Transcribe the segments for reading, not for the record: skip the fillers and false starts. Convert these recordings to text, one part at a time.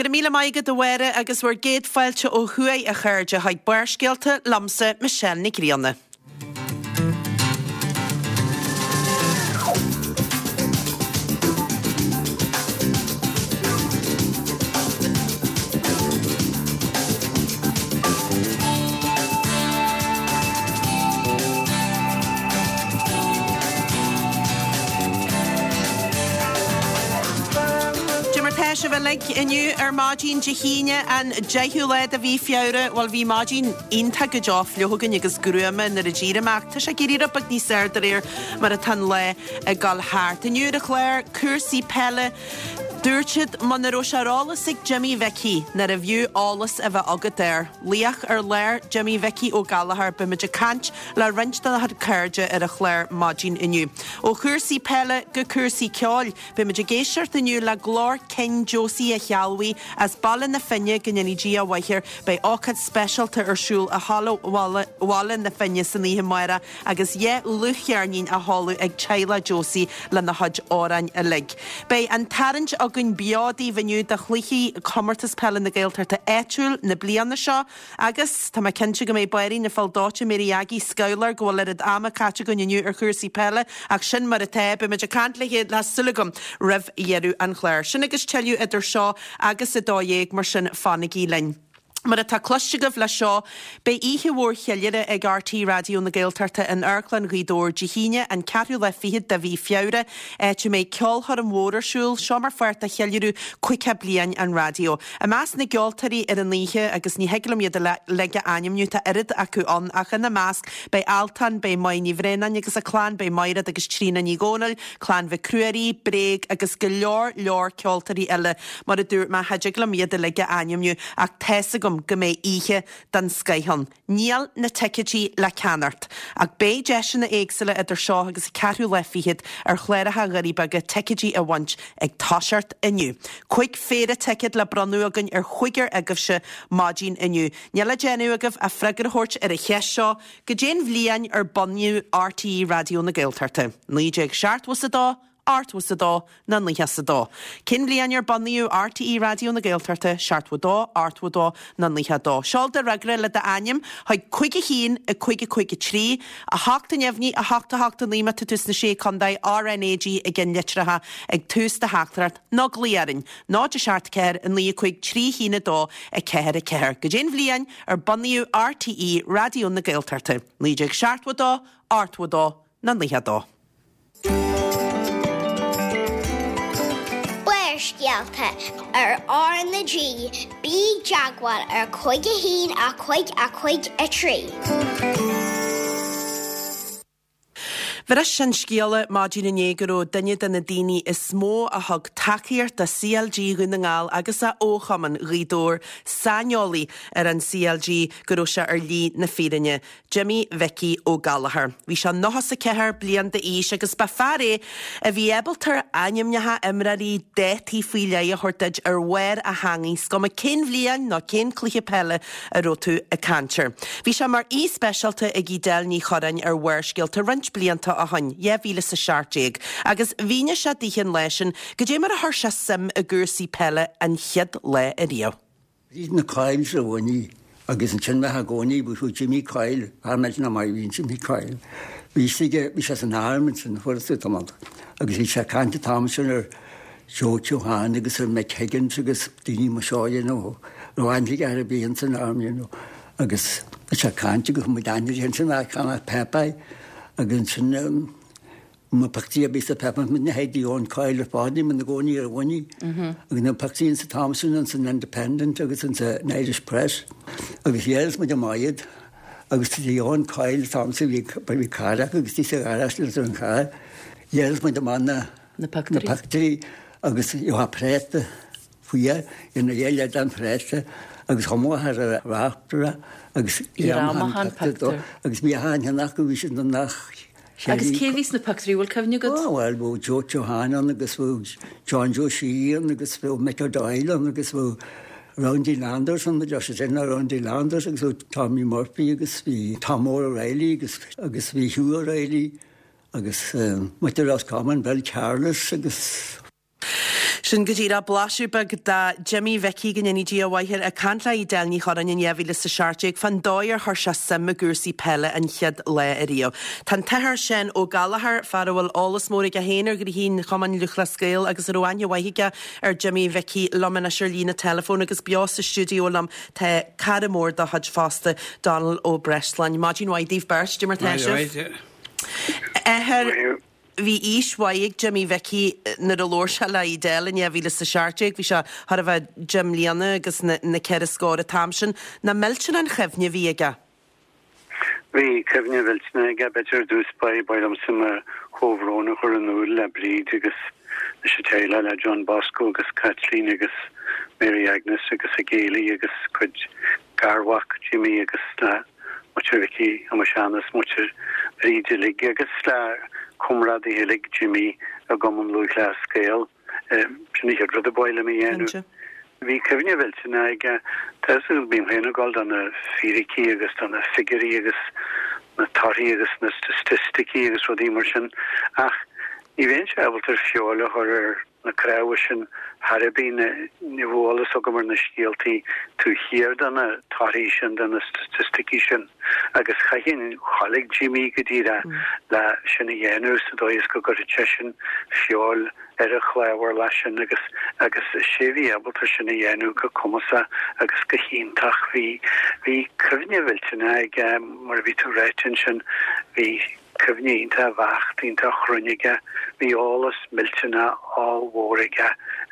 Go raibh míle maith agat a Mháire agus bhur gcéad fáilte ó thuaidh a chairde chuig Barrscéalta liomsa Michelle Nic Grianna. Cad é mar tá sibh uilig inniu ar maidin Dé hAoine an 10ú lá de mhí Feabhra. Bhuel bhí maidin iontach go deo fliuch againn agus gruama nuair a d'éirigh mé ach tá sé ag éirí rud beag níos fearr de réir mar atá an lá ag dul thart. Inniu ar an chlár, cúrsaí peile. Dúirt siad muna raibh sé ar eolas ag Jimmy Mhicí nárbh fhiú eolas a bheith agat air. Laoch ar lár, Jimmy Mhicí Ó Gallchóir, beimid ag caint le roinnt dá chuid cairde ar an chlár maidin inniu. Ó chúrsaí peile go cúrsaí ceoil, beimid ag éisteacht inniu le glór cinn Josie a' Shealbhaigh as Baile na Finne, go ndéanaí Dia a mhaith air. Beidh ócáid speisialta ar siúl i Halla Bhaile na Finne san oíche amárach agus 2 dhlúthcheirnín á sheoladh ag teaghlach Josie lena chuid amhráin uilig. Beidh an tarraingt againn beo daoibh inniu do chluichí Chomórtas Peile na Gaeltachta Áitiúil na bliana seo agus tá mé cinnte go mbeidh báirín na feoil dóite Mary Aggie scamhla go bhfuil oiread ama caite againn inniu ar chúrsaí peile ach sin mar atá, beimid ag caint léi tá súil agam roimh dheireadh an chláir. Sin agus tuilleadh idir seo agus 12:00 mar sin fanaigí linn. Mar atá cloiste agaibh leis seo, beidh oíche mhór cheiliúrtha ag RTÉ Raidió na Gaeltachta in Amharclann Ghaoth Dobhair Dé hAoine, an ceathrú lá fichead de mhí Feabhra, áit a mbeidh ceolchoirm mhór ar siúl, seo mar pháirt de cheiliúradh 50 bliain an raidió. I measc na gceoltóirí ar an oíche, agus ní thig liom iad uilig a ainmniú, tá oiread acu ann, ach ina measc beidh Altan, beidh Máire Ní Bhraonáin agus a clann, beidh Maighread agus Tríona Ní Dhomhnaill, Clann Mhic Ruairí, Bréag agus go leor leor ceoltóirí eile. Mar a dúirt mé, cha dtig liom iad uilig a ainmniú ach tá's agam go mbeidh oíche den scoith ann. Níl na ticéidí le ceannacht ach beidh deiseanna éagsúla idir seo agus an ceathrú lá fichead ar chláracha Dhoirí Beaga ticéidí a bhaint ag toiseacht inniu. Cuig phéire ticéad le bronnadh againn ar chúigear agaibhse maidin inniu. Níl le déanamh agaibh ach freagra a thabhairt ar an cheist seo, Goidé'n bhliain ar bunaíodh RTÉ Raidió na Gaeltachta? 1972, 82 nó 92? Cén bhliain ar bunaíodh RTÉ Raidió na Gaeltachta? 72, 82 nó 92? Seol do fhreagra le d'ainm chuig 5 1 5 5 3, 8 neamhní, 8 8 9 má tá tú sna Sé Contae, RnaG i gceannlitreacha ag tús do theachtaireacht nó glaoigh orainn, 0 7 4 9 5 3 1 2 4 4. Goidé'n bhliain ar bunaíodh RTÉ Raidió na Gaeltachta? 1972, 82 nó 92? Barrscéalta ar R na G, bí i dteagmháil ar 5 1 5 5 3. Bhris an scéala maidin inné go raibh duine de na daoine is mó a thug tacaíocht do CLG Dhún na nGall agus a fhochumann Ghaoth Dobhair, saineolaí ar an CLG, go raibh sé ar shlí na fírinne. Jimmy Mhicí Ó Gallchóir. Bhí sé 94 bliain d'aois agus ba fear é a bhí ábalta ainmneacha imreoirí, dátaí faoi leith a thabhairt duit ar bharr a theangaidh, is cuma cén bhliain nó cén cluiche peile a raibh tú ag caint air. Bhí sé mar aoi speisialta ag Edel Ní Chorráin ar Bharrscéalta roinnt blianta ó shoin, 2017, agus mhínigh sé daoithe an lá sin goidé mar a chuir sé suim i gcúrsaí peile an chéad lá ariamh. Bhí na Coyles i gcónaí agus ansin bheadh i gcónaí bhí Jimmy Coyle, fear millteanach maith a bhí in Jimmy Coyle. Bhí sé bhí sé san arm ansin fuair tú tamall agus bhí sé ag caint an t-am sin ar Joe Keohane agus ar Mick Higgins agus daoine mar seo you know raibh aithne aige ar a bhí san arm you know agus bhí sé ag caint agus muid aithne ansin a cheannach Pepe agus ansin um, Na pictiúirí a bhí sa phepa na hEddie Owen Coyle ar fad ní na gcónaí ar bhainní agus na pictiúirí sa t-am sin an san Independent agus an sa Irish Press agus dhéalas muid amach iad agus Eddie Owen Coyle an t-am sin bhí bhí carr acu agus bhí sa gharáiste leis an charr dhéalas muid amach na na pictiúirí agus gheofá préata faoi ina dhiaidh le dan préata agus chomh maith ar a reachtaire agus an pictiúr agus bhí a haon acu bhí siad nach Agus cé a bhí sna pictiúirí, bhfuil cuimhne agat? Ó bhuel, bhí Joe Keohane ann agus bhí John Joe Sheehy ann agus bhí Mick O'Doyle ann agus bhí Roundy Landers ann, bhí sin ná Roundy Landers agus bhí Tommy Murphy agus bhí Tom O'Reilly agus agus bhí Hugh O'Reilly agus muintir Roscommon, Bill Carlis agus. Sin go díreach blaiseadh beag de Jimmy Mhicí, go ndéanaí Dia a mhaith air, ag caint le Edel Ní Chorráin in 2017 fán dóigh ar chuir sé suim i gcúrsaí peile an chéad lá ariamh. Tá an tAthair Seán Ó Gallchóir, fear a bhfuil eolas mór aige féin ar ghnoithí an Chumainn Lúthchleas Gael agus a raibh aithne mhaith aige ar Jimmy Mhicí, liom anois ar líne teileafóin agus beo sa stiúideo liom tá cara mór dá chuid fosta, Dónal Ó Breisleáin. Maidin mhaith daoibh beirt, cad é mar tá sibh? Athair. Bhí aois mhaith ag Jimmy Mhicí nuair a labhair sé le Edel in 2017, bhí sé chóir a bheith deich mbliana agus na ceithre scór an t-am sin. Nach millteanach an chuimhne a bhí aige? Bhí cuimhne mhillteanach aige. B'fhéidir ar dtús ba mhaith liomsa mo chomhbhrón a chur in iúl le Bríd agus leis an teaghlach, le John Bosco agus Caitlín agus Mary Agnes agus a gcéilí agus cuid garmhac Jimmy agus le muintir Mhicí Thomáis Anna is muintir Bhríd uilig agus le comrádaithe uilig Jimmy i gCumann Lúthchleas Gael. Sin an chéad rud a ba mhaith liom a dhéanamh. Bhí cuimhne mhillteanach aige. Tá fhios agat, bím féin ag dul do na fíricí agus do na figiúirí agus na torthaí agus na staitisticí agus rudaí mar sin ach ní bheinnse ábalta feoil a chur ar na cnámha sin thar ar bith, ní bheadh eolas agam ar na scéaltaí taobh thiar de na torthaí sin, de na staitisticí sin, agus chaithfinn ghabháil ag Jimmy go díreach le sin a dhéanamh sa dóigh is go gcuirfeadh seisean feoil ar an chnámharlach leis sin agus agus is é a bhí ábalta sin a dhéanamh go cumasach agus go hiontach. Bhí bhí cuimhne mhillteanach aige, mar a bhí tú ráite ansin, bhí. Cuimhne iontach bheacht, iontach chruinn aige. Bhí eolas millteanach ollmhór aige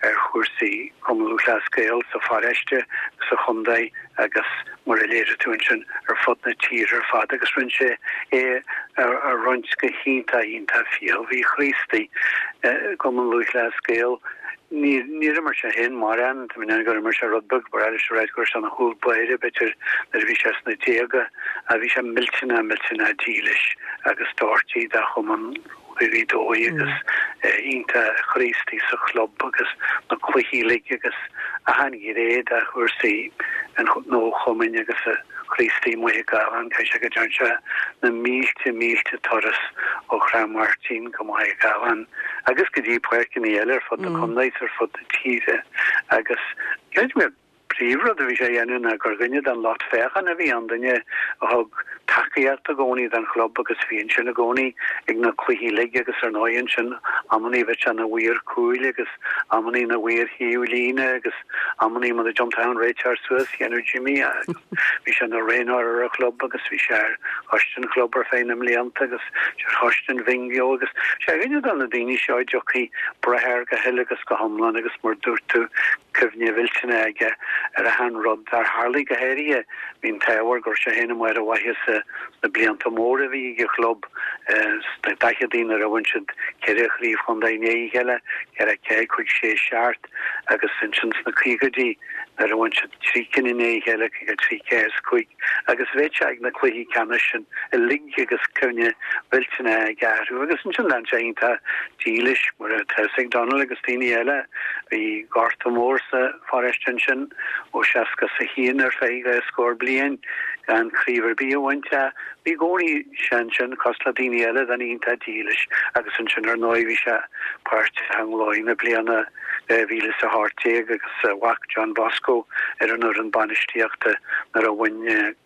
ar chúrsaí Chumann Lúthchleas Gael sa pharóiste, sa chontae agus, mar a léirigh tú ansin, ar fud na tíre ar fad agus rinne sé é a roinnt go hiontach, iontach fial. Bhí Chríostaí i gCumann Lúthchleas Gael. Níor imir sé féin mórán, tá mé in ann gur imir sé rud beag, ba bhreá leis a ráit go raibh sé ina chúl báire, b'fhéidir, nuair a bhí sé sna déaga, ach bhí sé millteanach, millteanach dílis agus doirte dá chumann Ghaoth Dobhair agus iontach Chríostaí sa chlub agus na cluichí uilig agus achan ghné de chúrsaí an chumainn agus a Chríostaí Maigh Gabhann, caithfidh sé go dtearn sé na mílte, mílte turas ó Shráid Mháirtín go Maigh Gabhann agus go dtí páirceanna eile ar fud na contae is ar fud na tíre agus creidim gur príomhrud a bhí sé a dhéanamh ná gur dhuine den lucht féachana a bhí ann, duine a thug tacaíocht i gcónaí don chlub agus bhí ansin i gcónaí ag na cluichí uilig agus ar ndóigh ansin amannaí bheadh sé ina mhaor cúil agus amannaí ina mhaor thaobh líne agus Amannaí muna dtiontódh an réiteoir suas, dhéanadh Jimmy é agus bhí sé ina thraenáir ar an chlub agus bhí sé ar choiste an chlub ar feadh na mblianta agus ar choiste an bhingo agus sé dhuine de na daoine seo a dtiocfaidh breith air go huile agus go hiomlán agus mar dúirt tú cuimhne mhillteanach aige ar achan rud dar tharlaigh go háirithe bhí an t-ádh air go raibh sé féin amuigh ar a mhaitheasa sna blianta móra a bhí ag an chlub sna daicheadaí nuair a bhain siad ceithre chraobh chontae i ndiaidh a chéile, 4, 5, 6, 7. agus ansin sna caogaidí nuair a bhain siad trí cinn i ndiaidh a chéile, 53, 4 is 5, agus bheadh sé ag na cluichí ceannais sin uilig agus cuimhne mhillteanach aige orthu. Agus ansin lean sé iontach dílis, mar atá fhios ag Donal agus daoine eile, bhí gorta mór sa pharóiste ansin ó 61 ar feadh dhá scór bliain gan craobh ar bith a bhaint ach bhí i gcónaí sé ansin cosúil le daoine eile, duine iontach dílis agus ansin ar ndóigh bhí sé páirteach i nglóir na bliana 2018 agus a mhac John Bosco ar an fhoireann bainistíochta nuair a bhain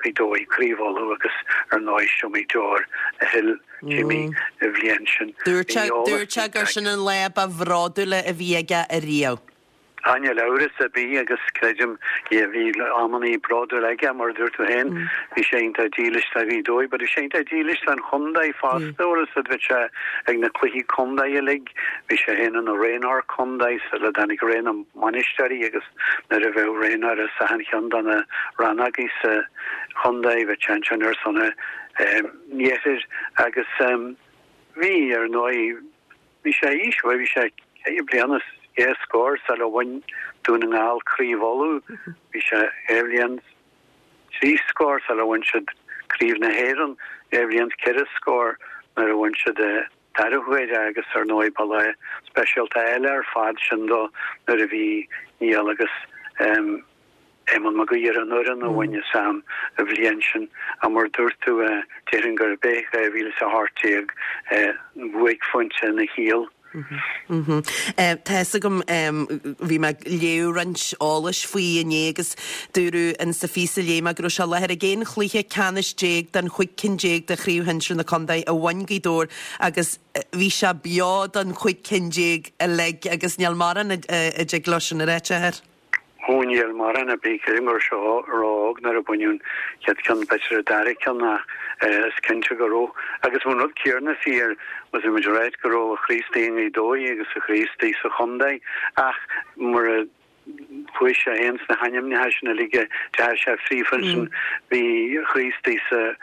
Gaoth Dobhair Craobh Uladh agus ar ndóigh is iomaí deoir a shil Jimmy an bhliain sin. Dúirt sé gur sin an lá ba bhródúla a bhí aige ariamh. Á, níl amhras ar bith agus creidim yeah bhí amannaí bródúil aige mar a dúirt tú féin, bhí sé iontach dílis do Ghaoth Dobhair but bhí sé iontach dílis don chontae fosta bhfuil fhios a'd bhí sé ag na cluichí contae uilig, bhí sé féin ina thraenáir contae sula dtáinig ré na mbainisteoirí agus nuair a bheadh traenáir as achan cheann de na rannógaí sa chontae bhí sé ansin ar son an iarthair agus bhí ar ndóigh Bhí sé aois, bhuel bhí sé ceithre bliana is dhá scór sula bhain Dún na nGall Craobh Uladh. Bhí sé dhá bhliain is trí scór sula bhain siad Craobh na hÉireann, dhá bhliain is ceithre scór nuair a bhain siad an dara huair é agus ar ndóigh ba lá speisialta eile ar fad sin dó nuair a bhí Niall agus Éamonn Mag Aoidh ar an fhoireann a bhain as an bhliain sin. Ach mar a dúirt tú, déarfainn gurb é 2018 buaicphointe ina shaol. Tá fhios agam, bhí mé ag léamh roinnt eolais faoi inné agus dúradh in sa phíosa a léigh mé go raibh sé i láthair ag 11 chluiche ceannais den chúig cinn déag de Chraobh Shinsir na Contae a bhain Gaoth Dobhair agus bhí sé beo don chúig cinn déag uilig agus níl mórán a dtig leo sin a ráit, a athair. Ó níl mórán ar bith, creidim go raibh sé ró-óg nuair a baineadh an chéad cheann, b'fhéidir an dara ceann ach is cinnte go raibh. Agus bhí an rud céarna fíor, bhí muid ag ráit go raibh a chroí istigh i nGaoth Dobhair agus a chroí istigh sa chontae ach mura chuaigh sé féin sna hainmneacha sin uilig a deir sé fríofa ansin, bhí a chroí istigh sa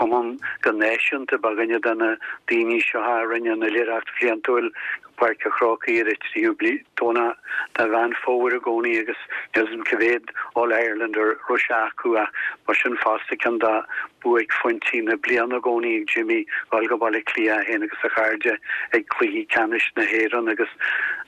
chumann go náisiúnta, ba dhuine de na daoine seo a rinne an oilithreacht bhliantúil Páirc a' Chrócaigh ar an tríú Domhnach de Mheán Fómhair i gcónaí agus níl 'fhios a'm cá mhéad All Ireland a raibh sé acu ach ba sin fosta ceann de buaicphointí na bliana i gcónaí ag Jimmy dhul go Baile Átha Cliath é féin agus a chairde ag cluichí ceannais na hÉireann agus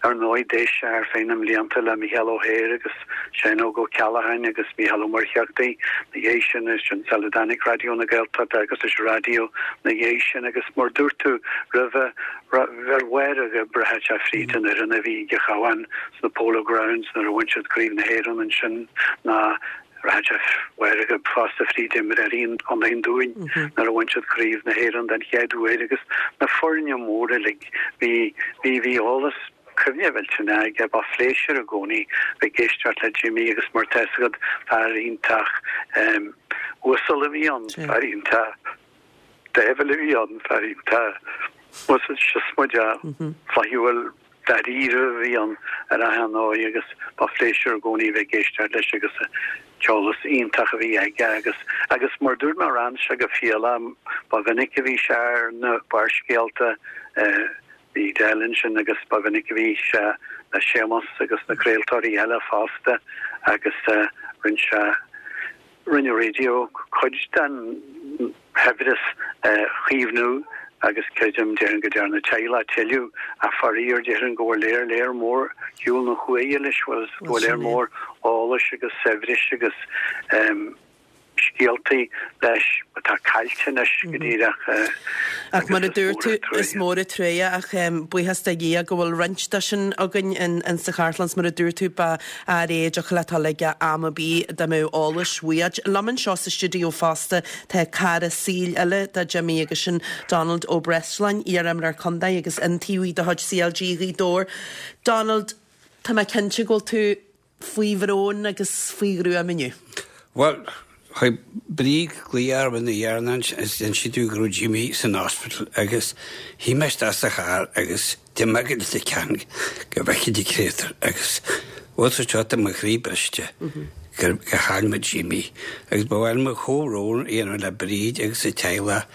ar ndóigh d'éist sé ar feadh na mblianta le Mícheál Ó hEithir agus Seán Óg Ó Ceallacháin agus Mícheál Ó Muircheartaigh na dhiaidh sin ansin sula dtáinig Raidió na Gaeltachta agus leis an raidió na dhiaidh sin agus mar dúirt tú roimhe Ar Mháire Ghib rachadh sé fríd an fhoireann a bhí ag an Chabhán sna Polo Grounds nuair a bhain siad Craobh na hÉireann ansin ná rachadh sé Mháire Ghib fosta fríd imreoirí Chontae an Dúin nuair a bhain siad Craobh na hÉireann den chéad uair agus na foirne móra uilig. Bhí bhí bhí eolas cuimhne mhillteanach aige. Ba phléisiúr i gcónaí bheith ag éisteacht le Jimmy agus mar tá fhios agat fear iontach uasal a bhí ann, fear iontach. Dáimhiúil a bhí ann, fear iontach siosmaideach, flaithiúil, dáiríre a bhí ann ar achan ndóigh agus ba phléisiúr i gcónaí a bheith ag éisteacht leis agus an t-eolas iontach a bhí aige agus agus mar dúirt mé ran sé go fial ba mhinic a bhí sé ar na Barrscéalta bhí Del ansin agus ba mhinic a bhí sé le Séamus agus na craoltóirí eile fosta agus rinne sé Rinne raidió cuid den shaibhreas a chaomhnú agus creidim, déarfainn go ndearna teaghlach tuilleadh ach faraor déarfainn go bhfuil léar léar mór shiúl na huaighe leis, go bhfuil léar mór eolais agus saibhris agus scéaltaí leis atá caillte anois go díreach. Ach mar a dúirt tú, is mór an truaighe ach buíochas do Dhia go bhfuil roinnt de sin againn in sa chartlann 's mar a dúirt tú ba fhear é a dtiocfadh leat dul aige am ar bith dá mbeadh eolas uait. Liom anseo sa stiúideo fosta tá cara saoil eile do Jimmy agus sin Donald Ó Breisleáin, iar-imreoir contae agus iontaobhaí de chuid CLG Ghaoth Dobhair. Donald, tá mé cinnte go bhfuil tú faoi bhrón agus faoi ghruaim inniu. Bhuel, chuir Bríd glaoch orm ina dhiaidh is d'inis sí domh go raibh Jimmy san hospital agus shuigh mé isteach sa charr agus d'imigh mé go Leitir Ceanainn go bhfeicfinn an créatúr agus bhuel sa seo tá mo chroí briste gur chaill muid Jimmy agus ba mhaith liom mo chomhbhrón a dhéanamh le Bríd agus a teaghlach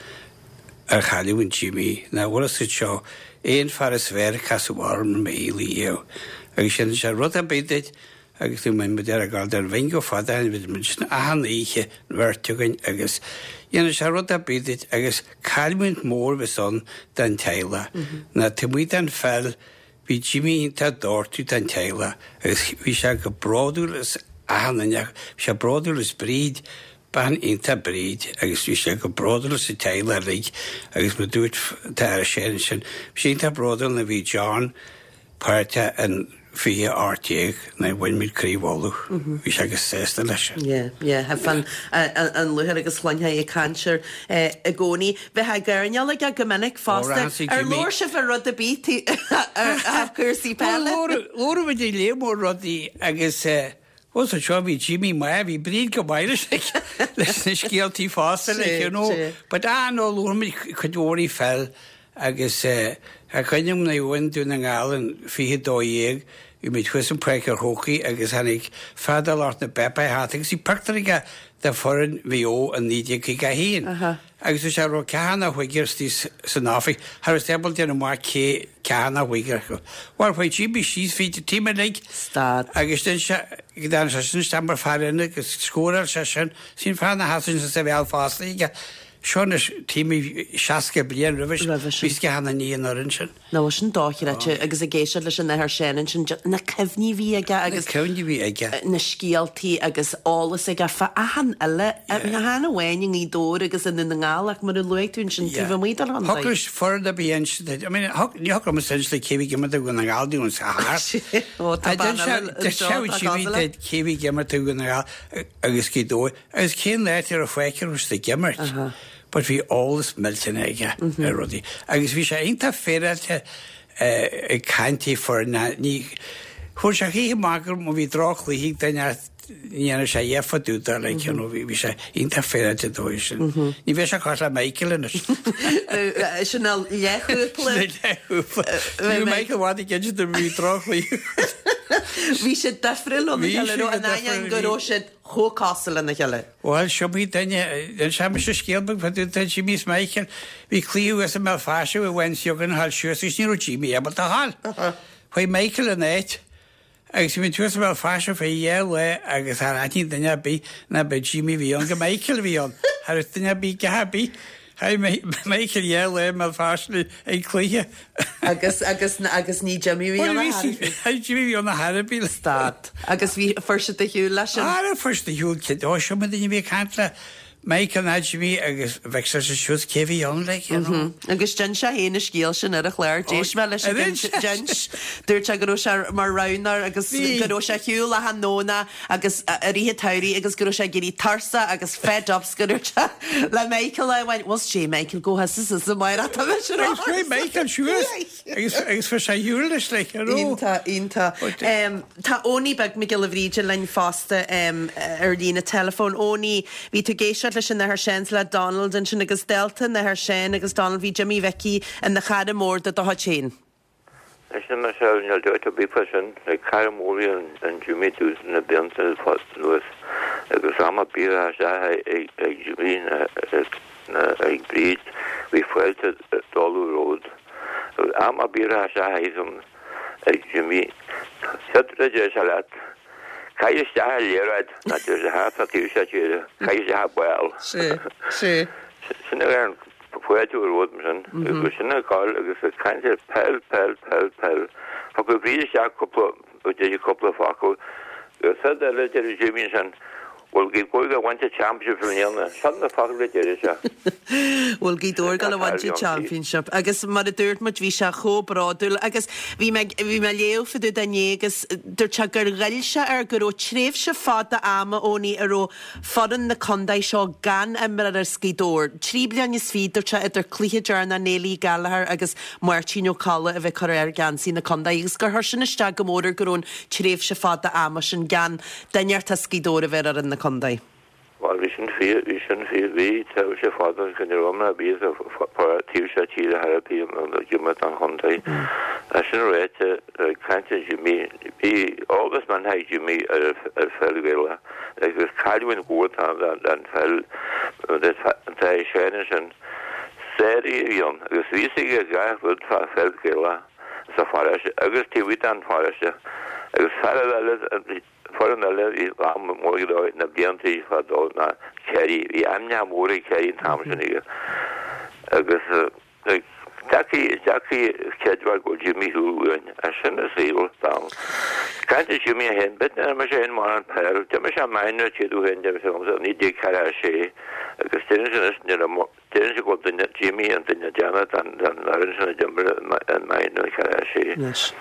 ar chailliúint Jimmy ná bhfuil fhios agat seo é an fear is fearr a casadh orm i mo shaol riamh agus déanann sé rud ar bith duit agus bhí muid ar ag gabháil don bhingo fada ó shin bhí muid sin achan oíche an bheirt againn agus dhéanadh sé rud ar bith duit agus cailliúint mór a bheas ann don teaghlach ná taobh amuigh den pheil Bhí Jimmy iontach dóirtiú don teaghlach agus bhí sé go bródúil as achan duine acu. Bhí sé bródúil as Bríd, bean iontach Bríd agus bhí sé go bródúil as an teaghlach uilig agus mar dúirt t'athair Shane ansin, bhí sé iontach bródúil nuair a bhí John páirteach in 2018 nuair a bhain muid Craobh Uladh. Bhí sé go sásta leis sin. Yeah, yeah, thaifead an lúcháir agus chluinfeá ag caint air i gcónaí. Bheifeá ag airneál aige go minic fosta. Ar labhair sibh ar rud ar bith ar chúrsaí peile? Labhair muid ar léar mór rudaí agus bhuel sa seo bhí Jimmy maith, bhí Bríd go maith leis leis na scéaltaí fosta like you know. But ah no labhair muid cuid mhór faoi pheil agus tá cuimhne agam nuair a bhain Dún na nGall an 2012 bhí muid thuas in Páirc an Chrócaigh agus tháinig fear de lucht na bpáipéar thart agus bhí pictiúr aige de foireann Mhaigh Eo in 1951. Agus dúirt sé raibh ceathrar nó cúigear istigh san oifig, cha raibh siad ábalta déanamh amach cé ceathrar nó cúigear acu. Bhuel, chuaigh Jimmy síos fríd an team uilig Stad. agus dhein sé, go dtearn sé sin isteach mar fear ionaid agus scóráil sé sin. Sin fear ina sheasamh ansin sa bheal fosta aige. Seo anois timpeall 60 bliain roimhe sin. Bhí a fhios ag achan duine an fhoireann sin. Nó sin dochreidte agus ag éisteacht leis an Athair Seán ansin, na cuimhní a bhí aige agus. Na cuimhní a bhí aige. Na scéaltaí agus eolas aige fá achan uile, chan amháin i nGaoth Dobhair agus i nDún na nGall ach mar a luaigh tú ansin taobh amuigh den chontae. Thiocfadh leis foireann ar bith a inse, I mean, ní thiocfadh liomsa inse duit cé a bhí ag imirt do Dhún na nGall dúinn sa chathair. Ó tá bean eile anseo atá cosúil leat. Cé a bhí ag imirt do Dhún na nGall agus Gaoth Dobhair agus cén áit a raibh fáice a raibh siad ag imirt. But bhí eolas millteanach aige ar rudaí agus bhí sé iontach féaráilte ag caint faoi foirne. Ní fuair sé choíche amach gur má bhí droch-chluiche ag duine ní dhéanadh sé a dhath fá dtaobh de like you know bhí sé iontach féaráilte dóigh sin. Ní bheadh sé cosúil le Michael anois. Sin a leathchúpla. Sin a leathchúpla. Bhí Michael i bhfad ag inse dom bhí droch-chluiche. Bhí siad difriúil óna chéile, in ainneoin go raibh siad chomh cosúil lena chéile. Bhuel, seo í duine, d'inis mise scéal beag fá dtaobh de Jimmy is Michael. Bhí cluiche thuas i mBéal Feirste bhí bhain Siogan a ghabháil suas agus ní raibh Jimmy ábalta a ghabháil. Chuaigh Michael ina áit agus bhí muid thuas i mBéal Feirste fé dhá lá agus char aithnigh duine ar bith ná ba Jimmy a bhí ann gur Michael a bhí ann. Cha raibh duine ar bith a dhath ar bith. Chaith Michael dhá lá i mBéal Feirste ag cluiche. Agus, agus, agus ní Jimmy a bhí ann a chor ar bith. Ní Jimmy a bhí ann a chor ar bith. Stad. Agus bhí, fuair siad ar shiúl leis sin? Ara, fuair siad ar shiúl, cé, ó, seo mo duine a bhí ag caint le Michael ná Jimmy agus bheadh sé suas cé a bhí ann, like, you know. Agus d'inis sé féin an scéal sin ar an chlár, d'éist mé leis ag d'inis. Dúirt sé go raibh sé mar roghnóir agus go raibh sé ar shiúl achan Domhnach agus i rith an tsamhraidh agus go raibh sé ag éirí tuirseach agus fed up 's go ndúirt sé le Michael lá amháin, Bhuel sé Michael go has is is amárach tá mise ar Agus chuaigh Michael suas agus agus fuair sé ar shiúl leis like, you know. Iontach, iontach. Tá Owenie beag Mac Giolla Bhríde linn fosta ar líne teileafóin. Owenie, bhí tú ag éisteacht leis an Athair Seán 's le Donald ansin agus dálta an Athar Seán agus Donald bhí Jimmy Mhicí ina chara mór de do chuid féin. Sin Michelle, níl dabht ar bith fá sin. Cara mór é an Jimmy domhsa na blianta anuas agus am ar bith a raibh isteach ag Jimmy ná ag Bríd bhí fáilte dála romhat. Agus am ar bith a raibh isteach ag Jimmy, céard a deir sé leat? Caith isteach an liathróid, ná deir sé thart fá taobh seo tíre, caith isteach an ball. Sin é an Fáilte romhat mar sin agus sin ag gabháil agus ag caint ar peil, peil, peil, peil. Thiocfadh Bríd isteach cúpla, deir sí cúpla focal agus rud eile a deireadh Jimmy ansin, bhfuil Gaoth Dobhair ag baint an championship i mbliana? Sin na focail a deireadh sé. Bhfuil Gaoth Dobhair ag gabháil a bhaint an championship agus mar a dúirt muid bhí sé chomh bródúil agus bhí mé, bhí mé ag léamh fá dtaobh de inné agus dúirt sé gur ghoill sé air go raibh tréimhse fada ama Owenie a raibh foireann na contae seo gan imreoir as Gaoth Dobhair. 23 bliain, dúirt sé, idir cluiche deireanach Neilí Gallagher agus Máirtín Ó Colla a bheith curtha ar gheansaí na contae agus gur chuir sin isteach go mór air go raibh an tréimhse fada ama sin gan duine as Gaoth Dobhair a bheith ar fhoireann na contae. Bhuel, bhí sin fíor, bhí sin fíor, bhí tréimhse fada go raibh imreoir ar bith as an taobh seo tíre thar a bith ag imirt don chontae. É sin ráite, ag caint ar Jimmy, bhí eolas maith ag Jimmy ar ar pheil Ghaelach. Agus cailliúint mhór atá ann don pheil atá ag Seán ansin. Sáraí a bhí ann agus bhí fhios aige gach rud fá pheil Ghaelach sa pharóiste agus taobh amuigh den pharóiste. Agus fear eile, foireann eile a bhí mór go leor na blianta fadó ná Ciarraí. Bhí aithne mhór ag Ciarraí an t-am sin aige. Agus Deacair, deacair creidiúint go bhfuil Jimmy ar shiúl uainn. É sin an saol, Donal. Caint ar Jimmy é féin, b'fhéidir nár imir sé féin mórán peil. D'imir sé minor chéad uair féin, deir sé liomsa, i 1946 agus deireann sé anois ní raibh, deireann sé go bhfuil duine, Jimmy an duine deireanach den, den fhoireann sin a d'imir an minor i 46. Anois.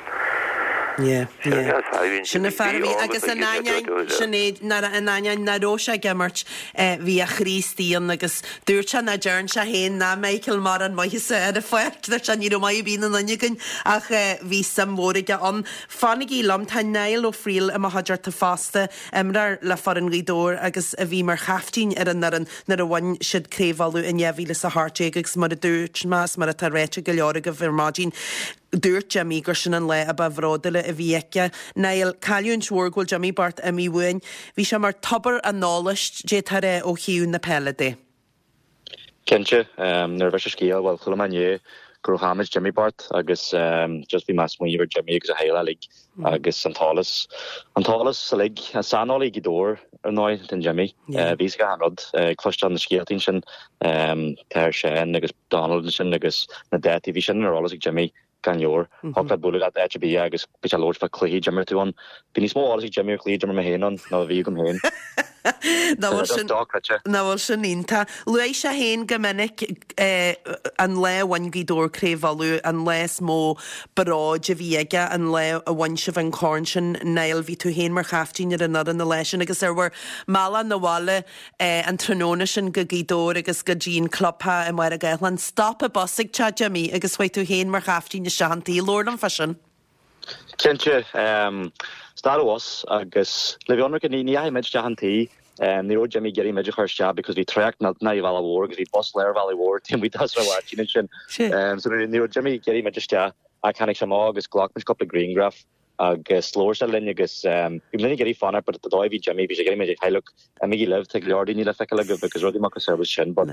Yeah, yeah. Sin an fear a bhí agus in ainneoin, Sinéad, in ainneoin nach raibh sé ag imirt, bhí a chroí istigh ann agus dúirt sé nach dtearn sé féin ná Michael mórán maitheasa ar an pháirc, dúirt sé ní raibh maith ar bith ina nduine againn ach bhí suim mhór aige ann. Fanaigí liom, tá Niall Ó Frighil i mo chuideachta fosta, imreoir le foireann Ghaoth Dobhair agus a bhí mar chaiftín ar an fhoireann nuair a bhain siad Craobh Uladh in 2018 agus mar a dúirt mé is mar atá ráite ag go leor agaibh ar maidin, Dúirt Jimmy gur sin an lá a ba bhródúla a bhí aige. Niall, cailliúint mhór go bhfuil Jimmy bocht imithe uainn. Bhí sé mar tobar an eolais, d'fhéadfá a rá, ó thaobh na peile de. Cinnte. Nuair a bhris an scéal, bhuel, chuala mé inné. go raibh chaill muid Jimmy bocht agus just bhí mé ag smaoineamh ar Jimmy agus a theaghlach uilig agus an t-eolas, an t-eolas uilig, saineolaí Ghaoth Dobhair ar ndóigh den Jimmy. Bhí fhios aige achan rud, ag cloisteáil na scéaltaí ansin, tá Seán agus Donald ansin agus na dátaí, bhí sin ar eolas ag Jimmy gan leabhar. Thiocfadh leat bualadh leat áit ar bith agus bhí sé ag labhairt fá cluichí d'imir tú ann. Bhí níos mó eolas ag Jimmy ar chluichí d'imir mé féin ann ná a bhí agam féin. Nach bhfuil sin, nach bhfuil sin iontach. Luaigh sé féin go minic an lá a bhain Gaoth Dobhair Craobh Uladh, an lá is mó bróid a bhí aige, an lá a bhain sibh an corn sin. Niall, bhí tú féin mar chaiftín ar an fhoireann an lá sin agus ar bhur mbealach 'na bhaile an tráthnóna sin go Gaoth Dobhair agus go dtí an clubtheach i Machaire Gathlán, stop an bus ag teach Jimmy agus chuaigh tú féin mar chaiftín isteach an tí. Labhair liom fá sin. Cinnte. Stad an bhus agus le bheith ionraic ní dheachaigh muid isteach an tí. Ní raibh Jimmy ag iarraidh muid a chur isteach because bhí trácht millteanach ar Bhealach Mhór agus bhí bus lár Bhealaigh Mhóir taobh amuigh de Sráid Mháirtín ansin. So ní raibh Jimmy ag iarraidh muid isteach ach tháinig sé amach agus ghlac muid cúpla grianghraf agus labhair sé linn agus bhí muid ag iarraidh fanacht but an dóigh a bhí Jimmy bhí sé ag iarraidh muid hey look imígí libh tá go leor daoine le feiceáil agaibh agus rudaí macasamhail sin but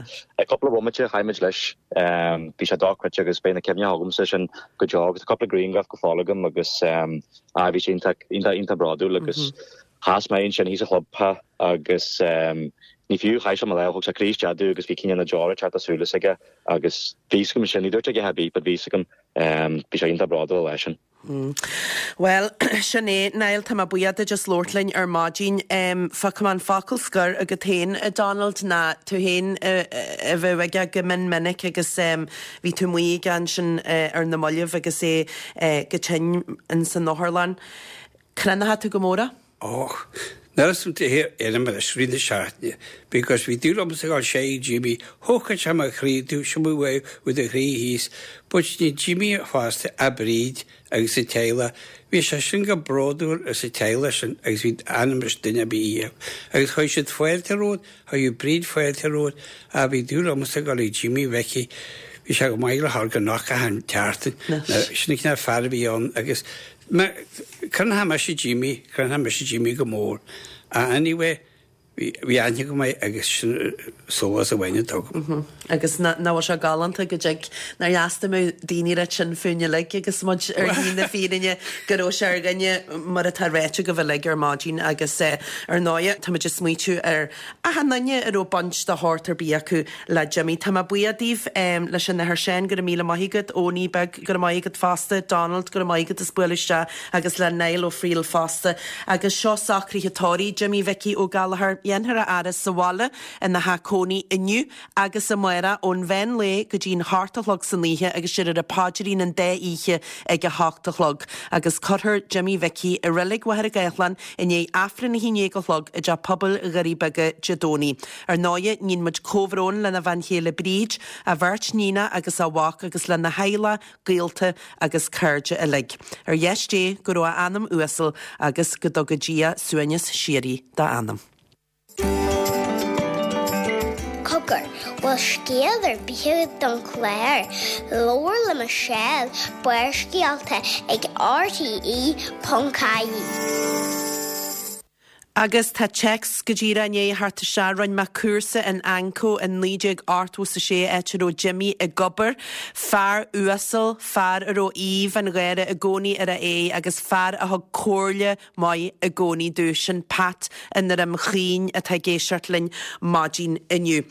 cúpla bomaite chaith muid leis bhí sé dochreidte agus beidh na cuimhní agamsa sin go deo agus tá cúpla grianghraf go fóill agam agus ah bhí sé iontach iontach iontach bródúil agus sheas mé ansin thíos sa chlubtheach agus ní fiú chaith sé mo lámh thug sé croí isteach domh agus bhí cineál na deora ag teacht as súile s'aige agus bhí fhios agam sin ní dúirt sé a dhath ar bith but bhí fhios agam bhí sé iontach bródúil an lá sin. Bhuel, sin é, Niall, tá mé buíoch duit as labhairt linn ar maidin. Fágfaidh mé an focal scoir agat féin, a Donald, ná tú féin a bheadh aige go mion minic agus bhí tú amuigh aige ansin ar na mallaibh agus é go tinn ins an otharlann. Crothnaíonn tú go mór é? Och, níl 'fhios a'm ar imir leis rith na seachtaine because bhí dúil agamsa ag gabháil sé Jimmy, thógfadh sé mo chroí tú seo uaidh with do chroí thíos, but ní Jimmy fosta a Bríd agus a teaghlach, bhí sé sin go bródúil as a teaghlach sin agus bhí ainm is duine ar bith iad agus chuir siad fáilte romhat, chuir Bríd fáilte romhat, ah bhí dúil agamsa ag gabháil ag Jimmy Mhicí, bhí sé go maith le thar go nach achan tseachtain, sin an cineál fear a bhí ann agus Crothnaigh mise Jimmy, crothnaigh mise Jimmy go mór. Anyway, bhí aithne agam air agus sin sólás amháin atá agam. Agus nach bhfuil sé galánta go dtig, nár dheas dá mbeadh daoine mar sin fúinn uilig agus muid ar shlí na fírinne go raibh sé ar dhuine mar atá ráite agaibh uilig ar maidin agus ar ndóighe táimid ag smaoitiú ar achan duine a raibh baint de shórt ar bith acu le Jimmy. Tá mé buíoch daoibh leis an Athair Seán, go raibh míle maith agat, Eoiní beag, go raibh maith agat fosta, Donald, go raibh maith agat as bualadh isteach agus le Niall Ó Frighil fosta. Agus seo socruithe tórraimh Jimmy Mhicí Ó Gallchóir. Dhéanfar a fhaire sa bhaile ina theach cónaí inniu agus amárach ón mheán lae go dtí'n hocht a chlog san oíche agus déarfar an paidrín an dá oíche ag a hocht a chlog. Agus cuirfear Jimmy Mhicí i Reilig Mhachaire Gathlán i ndiaidh Aifreann 11 a chlog i dTeach Pobail Dhoirí Beaga Dé Domhnaigh. Ar ndóighe, níonn muid comhbhrón lena bhean chéile Bríd, a bheirt níonacha agus a mhac agus lena theaghlach, gaolta agus cairde uilig. Ar dheis Dé go raibh a anam uasal agus go dtuga Dia suaimhneas síoraí dá anam. Cogar, bhfuil scéal ar bith agat don chlár? Labhair le Michelle, Barrscéalta ag rte.ie. Agus tá téacs go díreach i ndiaidh a theacht isteach. Rinne mé cúrsa in Anco in 1986 áit a raibh Jimmy ag obair. Fear uasal, fear a raibh aoibh an gháire i gcónaí ar a aghaidh agus fear a thug comhairle maith i gcónaí domh. Sin Pat i nDroim Chaoin atá ag éisteacht linn maidin inniu.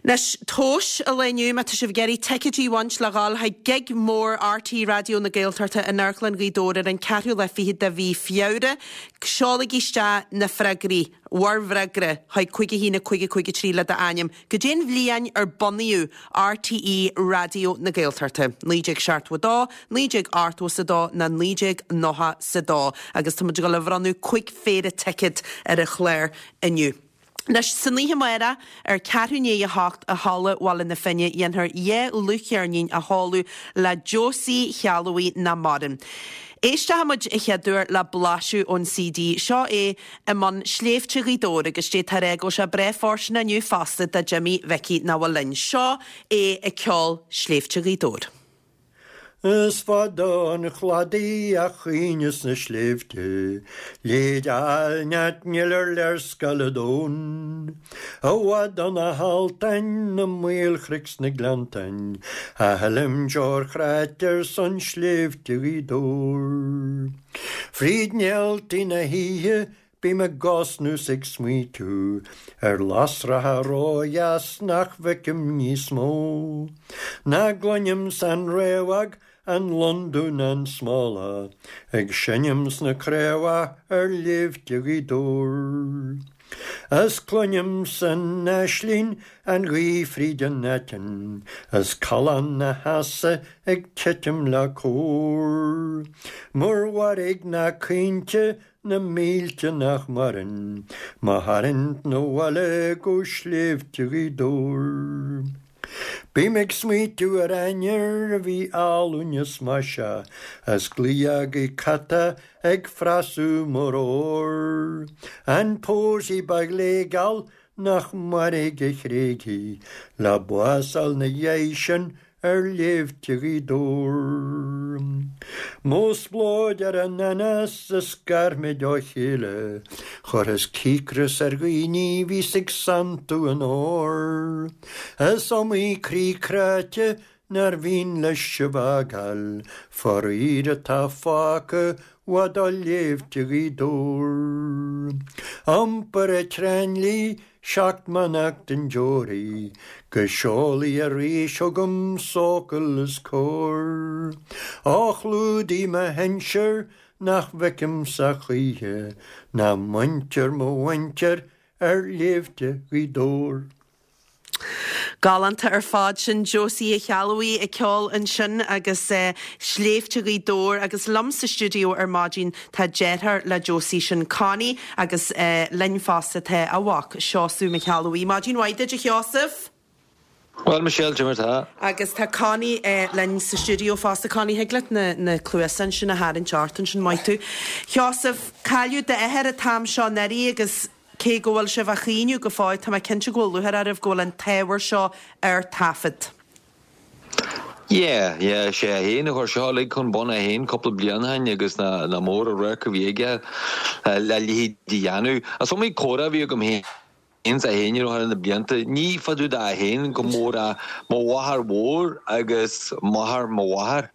Anois, tomhais an lae inniu, má tá sibh ag iarraidh ticéidí a bhaint le dhul chuig gig mór RTÉ Raidió na Gaeltachta in Amharclann Ghaoth Dobhair ar an ceathrú lá fichead de mhí Feabhra, Seolaigí isteach na freagraí, bhur bhfreagra, chuig 5 1 5 5 3 le d'ainm. Goidé'n bhliain ar bunaíodh RTÉ Raidió na Gaeltachta? 1972, 1982 nó 1992? Agus tá muid ag dul a bhronnadh 5 phéire ticéad ar an chlár inniu. Anois, san oíche amárach, ar ceathrú i ndiaidh a hocht i Halla Bhaile na Finne, dhéanfar dhá dhlúthcheirnín a sheoladh le Josie Shealbhaigh nach maireann. Éisteoidh muid a chéaduair le blaiseadh ón CD. Seo é i mbun Sléibhte Ghaoth Dobhair agus d'fhéadfá a rá go bhfuil sé breá fóirsteanach inniu fosta do Jimmy Mhicí nach bhfuil linn. Seo é ag ceol Sléibhte Ghaoth Dobhair. Is fada 'on chladaigh a chaoineas na sléibhte, Léid áilneat níl ar léarscáil an domhain. I bhfad ó na haltáin, na maolchnoic 's na gleanntáin, A shilim deoir chráite ar son sléibhte Ghaoth Dobhair. Fríd néaltaí na hoíche Bím ag osnú 's ag smaoitiú ar lasracha ródheas nach bhfeicim níos mó. Ná gcluinim san fhraochmhadh an londubh ná an smólach ag seinm sna craobhacha ar shléibhte Ghaoth Dobhair. Is cluinim san aislinn an ghaoth fríd an aiteann is callán na heasa ag titim le cór. Mur mhairg ná caointe Na mílte nach maireann, mo tharraingt 'na bhaile go sléibhte Ghaoth Dobhair. Bím ag smaoitiú ar ainnir a bhí álainn is maiseach, is glaodh catach ag frasú mo ramhar. An pósaí ba ghléigeal nach mairfidh a thréigfidh le bás fháil 'na dheidh sin ar shléibhte Ghaoth Dobhair. Mo spleodar ar an anás a scar muid ó chéile, chuireas cíocras ar dhaoine bhíos ag santú an óir. Is iomaí croí cráite nár mhian leis sibh fhágáil, faraor atá fágtha i bhfad ó shléibhte Ghaoth Dobhair. Iompar i dTránlí 7 mbeannacht an deoraí go seolfaidh arís chugam socal is cóir. Ó chlúdaigh mo shinsir nach bhfeicimse choíche ná muintir mo mhuintir ar shléibhte Ghaoth Dobhair. Galánta ar fad. Sin Josie Uí Cheallabhuí ag ceol ansin agus Sléibhte Ghaoth Dobhair agus liom sa stiúideo ar maidin tá deartháir le Josie, sin Connie agus linn fosta tá a mhac, Seosamh Mac Ceallabhuí. Maidin mhaith duit a Sheosaimh! Bhuel Michelle, cad é mar tá? Agus tá Connie linn sa stiúideo fosta. Connie, thig leat na cluasáin sin a tharraingt ort ansin, maith tú. Sheosaimh, cailleadh d'athair an t-am seo anuraidh agus Cé go bhfuil sibh á chaoineadh go fóill, tá mé cinnte go bhfuil lúcháir oraibh go bhfuil an t-ábhar seo ar taifead. Yeah, yeah, sé é féin a chuir seo uilig chun bun é féin cúpla bliain ó shin agus nach mór an radharc a bhí aige le a leithéid a dhéanamh. Is iomaí comhrá a bhí agam féin is é féin thar na blianta, ní fá dtaobh de é féin go mór ach mo mháthair mhór agus máthair mo mháthar.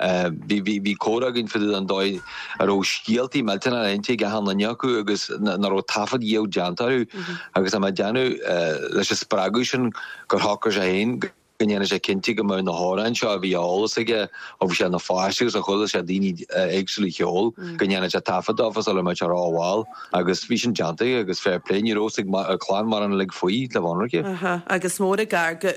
Bhí, bhí, bhí comhrá againn fá dtaobh den dóigh a raibh scéaltaí millteanacha inste ag achan duine acu agus nach raibh taifead dhiabh déanta orthu agus tá mé ag déanamh leis an spreagadh sin gur shocraigh sé féin go ndéanfadh sé cinnte go mbeadh na hamhráin seo a bhí ar eolas aige ó bhí sé ina pháiste agus a chuala sé daoine éagsúla a cheol go ndéanfadh sé taifead dófa sula mbeadh sé rómhall agus bhí sin déanta aige agus fair play ní raibh fhios ag clann mórán uilig faoi le bheith ionraice. Agus mór an gar go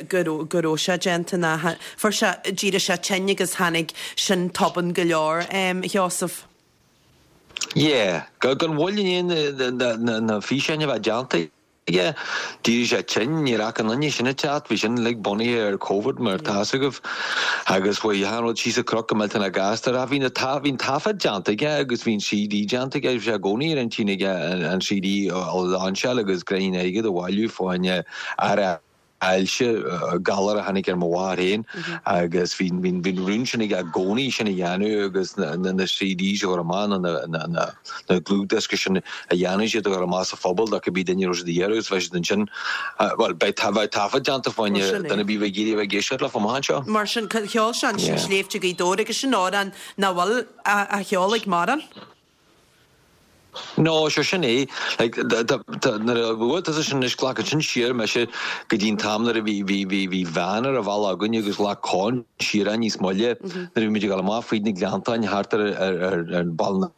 raibh sé déanta ná Fuair sé, d'éirigh sé tinn agus tháinig sin tobann go leor, a Sheosaimh. Yeah. Gan mhoill i ndiaidh na físeáin a bheith déanta aige, d'éirigh sé tinn, ní raibh aon duine sin ag teacht, bhí sin uilig bunaithe ar Covid mar tá fhios agaibh agus chuaigh achan rud síos an cnoc go millteanach gasta. Ach bhí na, bhí an taifead déanta aige agus bhí an CD déanta aige, bhí sé i gcónaí ar intinn aige an CD a lainseáil agus gráinnín airgid a bhailiú fá choinne aire ailse, galar a tháinig ar mo mháthair féin agus bhí an rún sin aige i gcónaí sin a dhéanamh agus na CDs a chur amach nó na dlúthdhioscaí sin a dhéanamh siad a chur amach sa phobal do cibé duine a raibh siad a iarraidh agus bheidh siad ansin, bhuel beidh taifead déanta fá choinne duine ar bith a bheidh ag iarraidh a bheith ag éisteacht leofa amach anseo. Mar sin, cheol sé ansin Sléibhte Ghaoth Dobhair agus sin amhrán nach bhfuil á cheol ag mórán. No, sure, sin é. Like, nuair a bhuail tusa sin anois, glacann sin siar mise go dtí an t-am nuair a bhí, bhí, bhí, bhí veain ar an bhealach againn agus ghlac Con siar é níos moille nuair a bhí muid ag dul amach fríd na Gleanntáin thart ar, ar, ar, ar Baile na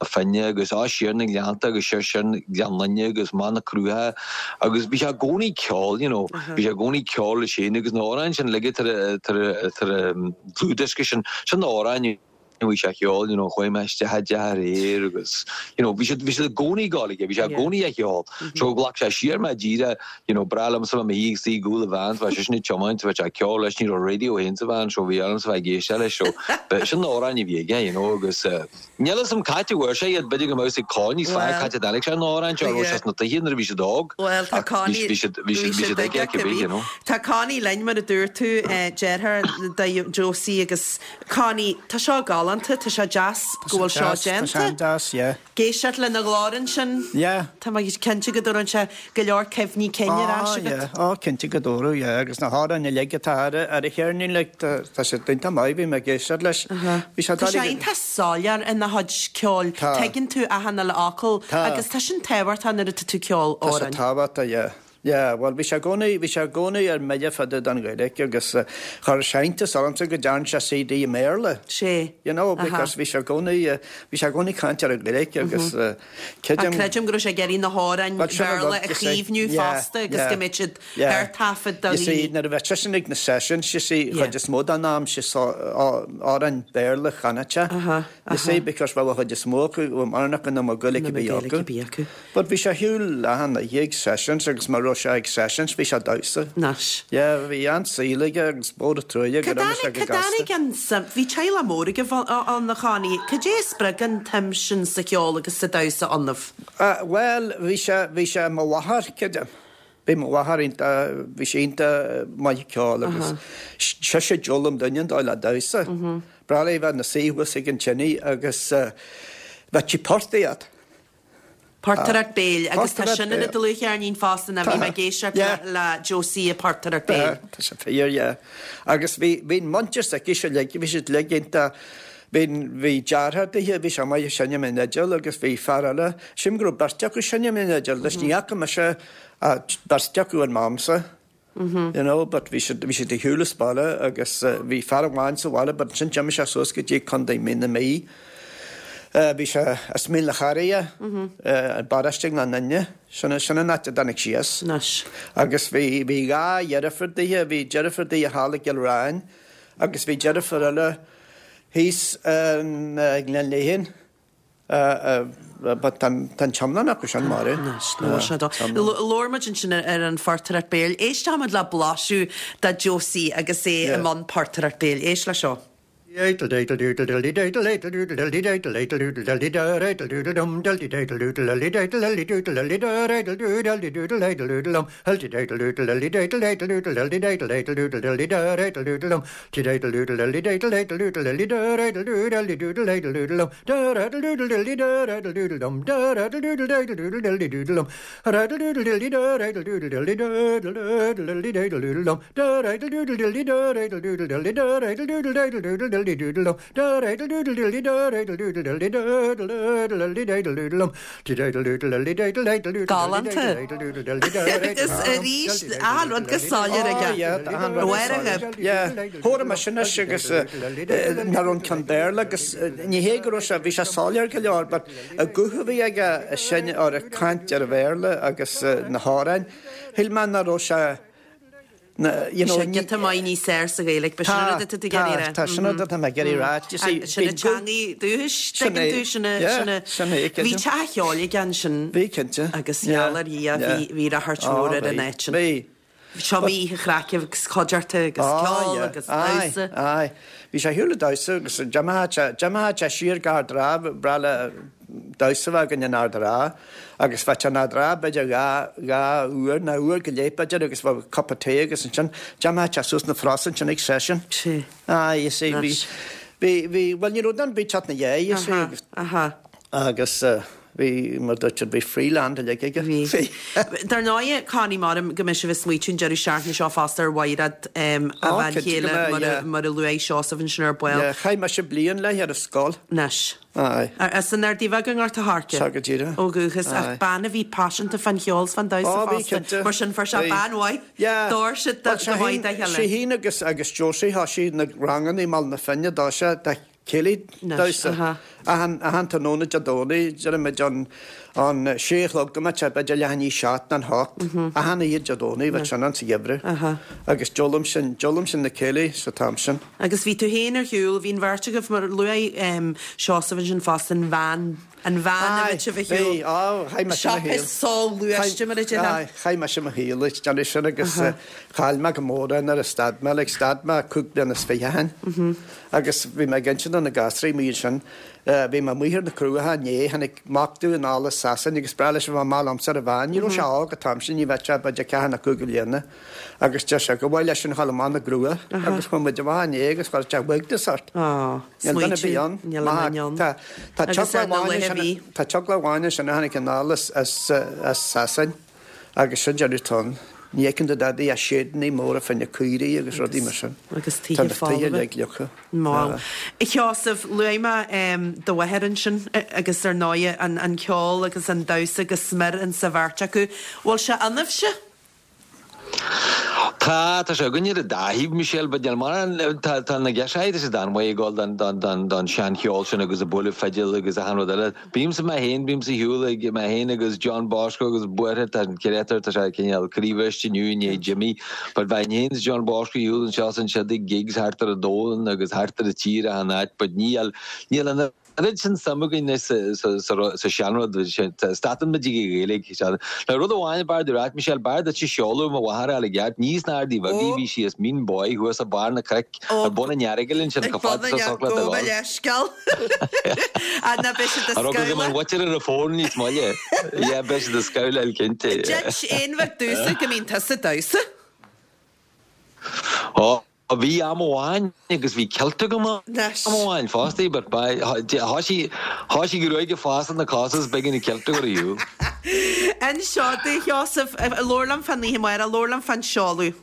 Finne agus á siar na Gleannta agus siar siar Gleann Fhinne agus amach na Cruacha agus bhí sé i gcónaí ag ceol, you know, bhí sé i gcónaí ag ceol leis féin agus na hamhráin sin uilig atá ar, ar, ar an dlúthdhiosca sin, sin na hamhráin. bhí sé a cheol, you know, chuaigh mé isteach i dteach aréir agus, you know, bhí siad, bhí siad i gcónaí ag gabháil aige, bhí sé i gcónaí a cheol. So ghlac sé siar mé díreach, you know, breá liomsa bheith i mo shuí ag suí i gcúl an veain, bheadh seisean ag tiomáint, bheadh sé ag ceol leis, ní raibh radio féin sa veain, so bhí ormsa bheith ag éisteacht leis, so b'shin na hamhráin a bhí aige, you know, agus eh, níl a fhios agam c'áit a bhfuair sé iad, b'fhéidir go mbeadh a fhios ag Connie níos fearr c'áit a dtáinig sé na hamhráin seo, raibh sé sna tithe nuair a bhí siad óg, Bhuel, tá ach bhí, Connie, bhí siad, bhí bhí siad, bhí siad siad aige aige cibé, cibé. you know. Tá Connie linn, mar a dúirt tú, eh, deartháir do Josie agus Connie, tá seo galánta, tá sé deas go bhfuil seo Tá sé déanta. an-deas, yeah. Ag éisteacht lena ghlór ansin. Yeah. Tá mé cinnte go dtabharann sé go leor cuimhní cinn ar ais Ah, agat. yeah. Oh, cinnte go dtabharfadh, yeah. Agus na hamhráin uilig atá ar ar a cheirnín, like, tá tá sé iontach maith, bhí mé ag éisteacht leis. Bhí sé Tá sé doiligh. iontach soiléir ina chuid ceoil. Tá. Tuigeann tú achan uile fhocal Tá. agus tá sin tábhachtach nuair atá tú ag ceol Tá sé amhráin. tábhachtach, yeah. Yeah, bhuel bhí sé i gcónaí, bhí sé i gcónaí ar mile fada don Ghaeilge agus chuir sé iontas ormsa go dtearn sé CD i mBéarla. Sé. You know, because bhí sé i gcónaí, bhí sé i gcónaí ag caint ar an Ghaeilge agus creidim. Ach creidim go raibh sé ag iarraidh na hamhráin Bhéarla a chaomhnú fosta agus go mbeadh siad ar taifead do You see, nuair a bheadh seisean ag na sessions, you see, chuid is mó den am, sé amhráin Béarla a chanadh sé. You see, because bheadh a chuid is mó acu, bheadh mórán acu nach mbeadh Gaeilge ar bith acu. But bhí sé ar shiúl achan oíche ag sessions agus má raibh sé ag sessions bhí sé ag damhsa. Anois. Yeah, bhí an-saol aige agus mór an truaighe gur imigh sé go Cad gasta. tháinig an suim, bhí teaghlach mór agaibh ann a Chonnie, cad é a spreag an tsuim sin sa cheol agus sa damhsa ionaibh? Bhuel, bhí sé, bhí sé mo mháthair, creidim. Bhí mo mháthair iontach, bhí sí iontach maith ag ceol agus sise a d'fhoghlaim dúinne an dóigh le damhsa. Breá léi bheith ina suí thuas ag an tine agus bheadh sí portaíocht. Portaireacht béil, agus tá sin ar an dlúthcheirnín fosta, nó bhí mé ag éisteacht le Josie ag portaireacht béil. Tá sé fíor, yeah. Agus bhí, bhí an muintir s'aici uilig, bhí siad uilig iontach, bhí, bhí deartháir dithe, bhí sé maith ag seinm an fhidil agus bhí fear eile, sílim go raibh beirt acu ag seinm an fhidil, leis ní fhaca mise ach beirt acu in m'amsa. You know, but bhí siad, bhí siad ar shiúl as baile agus bhí fear amháin sa bhaile but ansin d'imigh sé suas go dtí Contae Mí na Mí. Bhí sé as Mín na Charraige, i bparóiste na nDuine, sin, sin an áit a dtáinig sí as. Anois. Agus bhí, bhí dhá dheirfiúr dithe, bhí deirfiúr dithe thall i gCill Ráin agus bhí deirfiúr eile thíos i nGleann Léithin. But tá an t-iomlán acu sin marbh. Labhair muid ansin ar an phortaireacht béil. Éistfidh muid le blaiseadh de Josie agus é i mbun portaireacht béil. Éist leis seo. Galánta. Agus arís, achan rud go soiléir aige. Chomhair mise anois agus nach raibh an ceann Béarla agus ní hé go raibh sé, bhí sé soiléir go leor but an guth a bhí aige sin ar ag caint ar an Bhéarla agus na hamhráin, shíl mé nach raibh sé you know. Bhí sé giota maith níos fearr sa Ghaeilge, b'shin an rud atá tú ag iarraidh a rá. Tá, tá, sin an rud atá mé ag iarraidh a rá. You see, Sin an teangaidh dúchais, tuigeann tú, sin a, sin a, sin é, bhí teach an cheoil aige ansin. Bhí, cinnte. Agus gheall ar Dhia, bhí, bhí ráchairt mhór ar an áit sin. Bhí. Seo bhí oíche chraic agus cuideachta agus ceol agus damhsa. Aye, aye. Bhí sé ar shiúl ag damhsa agus d'imigh sé, d'imigh sé siar go Ard an Rátha, breá le damhsa a bheith againn in Ard an Rátha agus bheadh sé in Ard an Rátha b'fhéidir dhá, dhá uair nó uair go leith b'fhéidir agus bheadh cupa tae agus ansin d'imigh sé suas na Frosa ansin ag session. Sea. Aye, you see, bhí, bhí, bhí, bhuel ní raibh duine ar bith ag teacht ina dhiaidh, you see, agus. Aha, aha. Agus bhí, mar dúirt siad, bhí free land uilig aige. Bhí. Dar ndóigh, Connie, maram go mbeidh sibh ag smaoitiú an deireadh seachtaine seo fosta ar Mhaighread, a bhean chéile, mar a luaigh Seosamh ansin ar ball. Yeah, chaith mise bliain léi ar an scoil. Anois. Aye. As an Ardaidh Bheag i nGort a' Choirce. Sea, go díreach. Ó dhúchas, ach bean a bhí paiseanta fán cheol 's fán damhsa Ó, bhí, fosta. cinnte. Mar sin, fuair sé Bhí. bean mhaith. Yeah. D'fhóir siad Bhuel, go maith dá chéile. Sí féin agus agus Josie, thosaigh na ranganna i mBaile na Finne, d'fhóir sé. Céilí damhsa. Achan, achan tráthnóna Dé Domhnaigh, déarfaimid ón, ón sé a chlog go mbeadh sé b'fhéidir leath i ndiaidh a seacht nó an hocht, achan oíche Dé Domhnaigh bheadh sin ann sa gheimhreadh. Agus d'fhoghlaim sin, d'fhoghlaim sin na céilí sa t-am sin. Agus bhí tú féin ar shiúl, bhí an bheirt agaibh, mar luaigh Seosamh ansin fosta, an veain, an veain a bheadh sibh ar shiúl. Bhí, á, chaith mise mo shaol. Siopa soghluaiste mar a déarfá. Aye, chaith mise mo shaol ag déanamh sin agus chaill mé go mór é nuair a stad mé, like stad mé cúig bliana is fiche ó shin. Agus bhí mé ag inse do na gasraí amuigh ansin, bhí mé amuigh ar na Cruacha inné, tháinig mac domh anall as Sasain agus ba bhreá leis a bheith amach liomsa ar an veain. Ní raibh sé óg an t-am sin, ní bheadh sé b'fhéidir ceathair nó cúig bliana. Agus deir sé gur mhaith leis sin a ghabháil amach na gCruach agus chuaigh muid amach inné agus chuir sé uaigneas ort. Níl duine ar bith ann. Níl aon duine ann. Tá Agus ar na laethe a bhí. Tá teaghlach amháin ansin a tháinig anall as Sasain agus sin deireadh atá ann. Ní fheiceann tú dadaí ach séideanna móra fá choinne caoirigh agus rudaí mar sin. Agus tithe Tá na tithe folmha. uilig fliucha. Bhuel, a Sheosaimh, luaigh mé do mháthair ansin agus ar ndóighe an ceol agus an damhsa go smior insa bheirt acu. Bhfuil sé ionaibhse? Tá, tá sé againn ar an dá thaobh, Michelle, but níl mórán, tá, tá na girseachaí, tá siad an-mhaith ag gabháil don, don, don, don seancheol sin agus ag bualadh fidil agus achan rud eile. Bímse mé féin, bímse ar shiúl ag mé féin agus John Bosco agus buartha, tá an créatúr, tá sé cineál croíbhriste inniu i ndiaidh Jimmy, but bheinn féin is John Bosco ar shiúl anseo is ansiúd ag gigs thart ar an domhan agus thart ar an tír achan áit, but níl, níl an. An oiread sin suim againn anois sa seanrud, stadann muid ag an Ghaeilge. Now rud amháin ab fhearr duit a ráit, Michelle, b'fhearr duit seoladh mo mháthar a fháil i gceart, ní sna Ardaí Bheaga a bhí sí as Mín Bóí thuas ag barr na cnoic, ar bun an Earagail ansin, chomh fada is a thiocfadh leat a Gabh mo ghabháil. leithscéal. Ah, ná beidh siad ag An raibh go an mhuintir ar an bhfón níos moille. Yeah, beidh siad ag scamhláil cinnte. Duit aon bheag damhsa go mbíonn tusa ag damhsa? Ó. Bhí am amháin agus bhí kilt agam am amháin fosta but thoisigh thoisigh gruaig ag fás ar na cosa is b'éigean an kilt a chur ar shiúl. Inis domh, a Sheosaimh, labhair liom fán oíche amárach, labhair liom fán seoladh.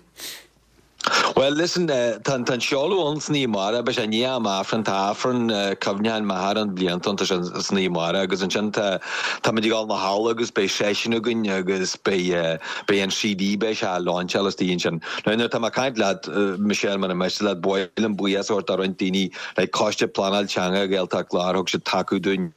Well listen, tá an seoladh ann san oíche amárach, beidh sé i ndiaidh am Aifrinn, tá Aifreann cuimhneacháin m'athar ann bliantúil, tá sé san oíche amárach agus ansin tá táimid ag dul na halla agus beidh seisiún againn agus beidh beidh an CD beidh sé á lainseáil istigh ansin. Now nuair atá mé ag caint leat, Michelle, mura miste leat, ba mhaith liom buíochas a thabhairt do roinnt daoine, like Coiste Pleanáil Teanga Ghaeltacht Láir, thug siad tacú dúinn.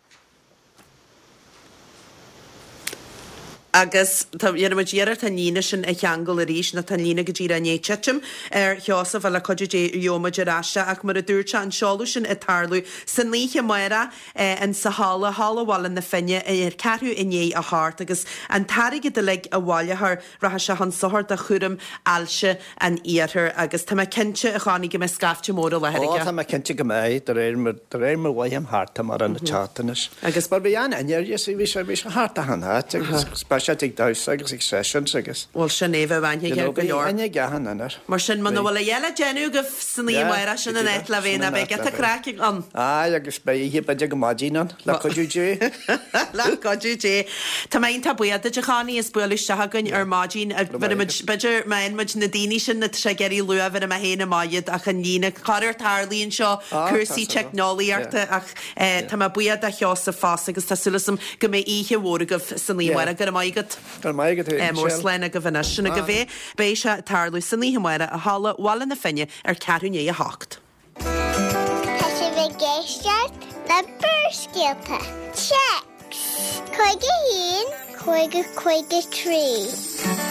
Agus tá, dhéanfaidh muid iarracht an líne sin a cheangal arís, nó tá an líne go díreach i ndiaidh titim ar Sheosamh, ach le cuidiú Dé gheobhaidh muid ar ais é. Ach mar a dúirt sé, an seoladh sin ag tarlú san oíche amárach in sa halla, Halla Bhaile na Finne, ar ceathrú i ndiaidh a hocht, agus an t-airgead uilig a bhaileofar, Rachaidh sé chun sochair do chúram ailse an Iarthair agus tá mé cinnte, a Chonnie, go mbeidh scaifte mór i láthair Ó, aige. tá mé cinnte go mbeidh, de réir mar, de réir mar mhothaím thart tá mar an teacht anois. Agus. Mar bhí an-aithne air, you see, bhí sé, bhí sé thart achan áit agus speisialta ag damhsa agus ag sessions agus. Bhuel, sin é, bheadh aithne You aige know, ar go bhí leor. aithne ag achan duine air. Mar sin, muna Bhí. bhfuil a dhath le déanamh agaibh san oíche Yeah, amárach, sin go an díreach, áit le bheith sin ná an beidh áit le giota bheith. craic ann. Aye, agus beidh oíche b'fhéidir go maidin ann, le cuidiú Dé. Le cuidiú Dé. Tá mé iontach buíoch duit a Chonnie as bualadh isteach chugainn ar maidin. Bheir muid, b'fhéidir má fhaigheann muid na daoine sin atá sé ag iarraidh luath, bheir mé féin amach iad ach an líne, corruair tarlaíonn seo, cúrsaí teicneolaíochta ach tá mé buíoch do Sheosamh fosta agus tá súil agam go mbeidh oíche mhór agaibh san oíche amárach. Go raibh maith agat. Go raibh maith agat féin, Mór Michelle. slán agaibh anois. Sin agaibh é. Beidh sé ag tarlú san oíche amárach i Halla Bhaile na Finne ar ceathrú i ndiaidh a hocht. Tá sibh ag éisteacht le Barrscéalta. Téacs 51 50 53.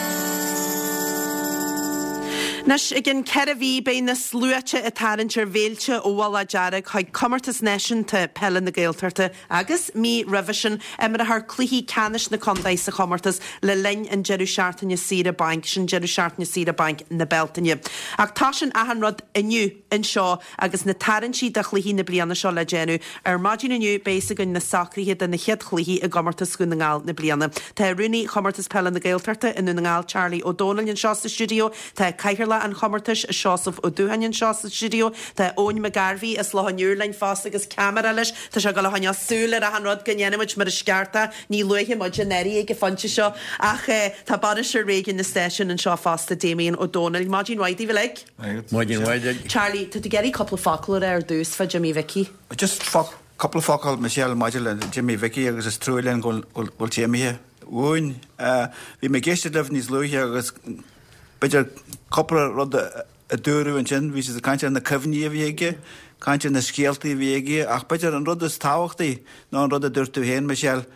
Anois, i gcionn 4 mhí, beidh na sluaite ag tarraingt ar mhílte ó Mhullach Dearg chuig Comórtas Náisiúnta Peile na Gaeltachta agus, mí roimhe sin, imreofar cluichí ceannais na contae sa chomórtas le linn an deireadh seachtaine saoire bainc, sin deireadh seachtaine saoire bainc na Bealtaine. Ach tosaíonn achan rud inniu. anseo agus na tarraingtí do chluichí na bliana seo le déanamh. Ar maidin inniu beidh fhios againn na socruithe do na chéad chluichí i gComórtas Dhún na nGall na bliana. Tá Rúnaí Chomórtas Peile na Gaeltachta i nDún na nGall, Charlie Ó Dónaill anseo sa stiúideo, tá Cathaoirleach an chomórtais, Seosamh Ó Dúcháin anseo sa stiúideo, tá Eoin McGarvey as Loch an Iúir linn fosta agus ceamara leis. Tá sé ag dul a choinneáil súil ar achan rud go ndéanfaidh muid mar is ceart é. Ní luafaidh muid an airí ag an phointe seo ach tá bainisteoir réigiúin na stáisiún anseo fosta, Damien Ó Dónaill. Maidin mhaith daoibh uilig. Maidin mhaith duit. Charlie, tá tú ag iarraidh cúpla focal a rá ar dtús fá Jimmy Mhicí. Just cúpla focal, Michelle, maidir le Jimmy Mhicí agus is trua linn go bhfuil sé imithe uainn. Bhí mé ag éisteacht libh níos luaithe agus b'fhéidir cúpla rud a. a dúradh ansin, bhí siad ag caint ar na cuimhní a bhí aige, caint ar na scéaltaí a bhí aige, ach b'fhéidir an rud is tábhachtaí ná an rud a dúirt tú féin, Michelle,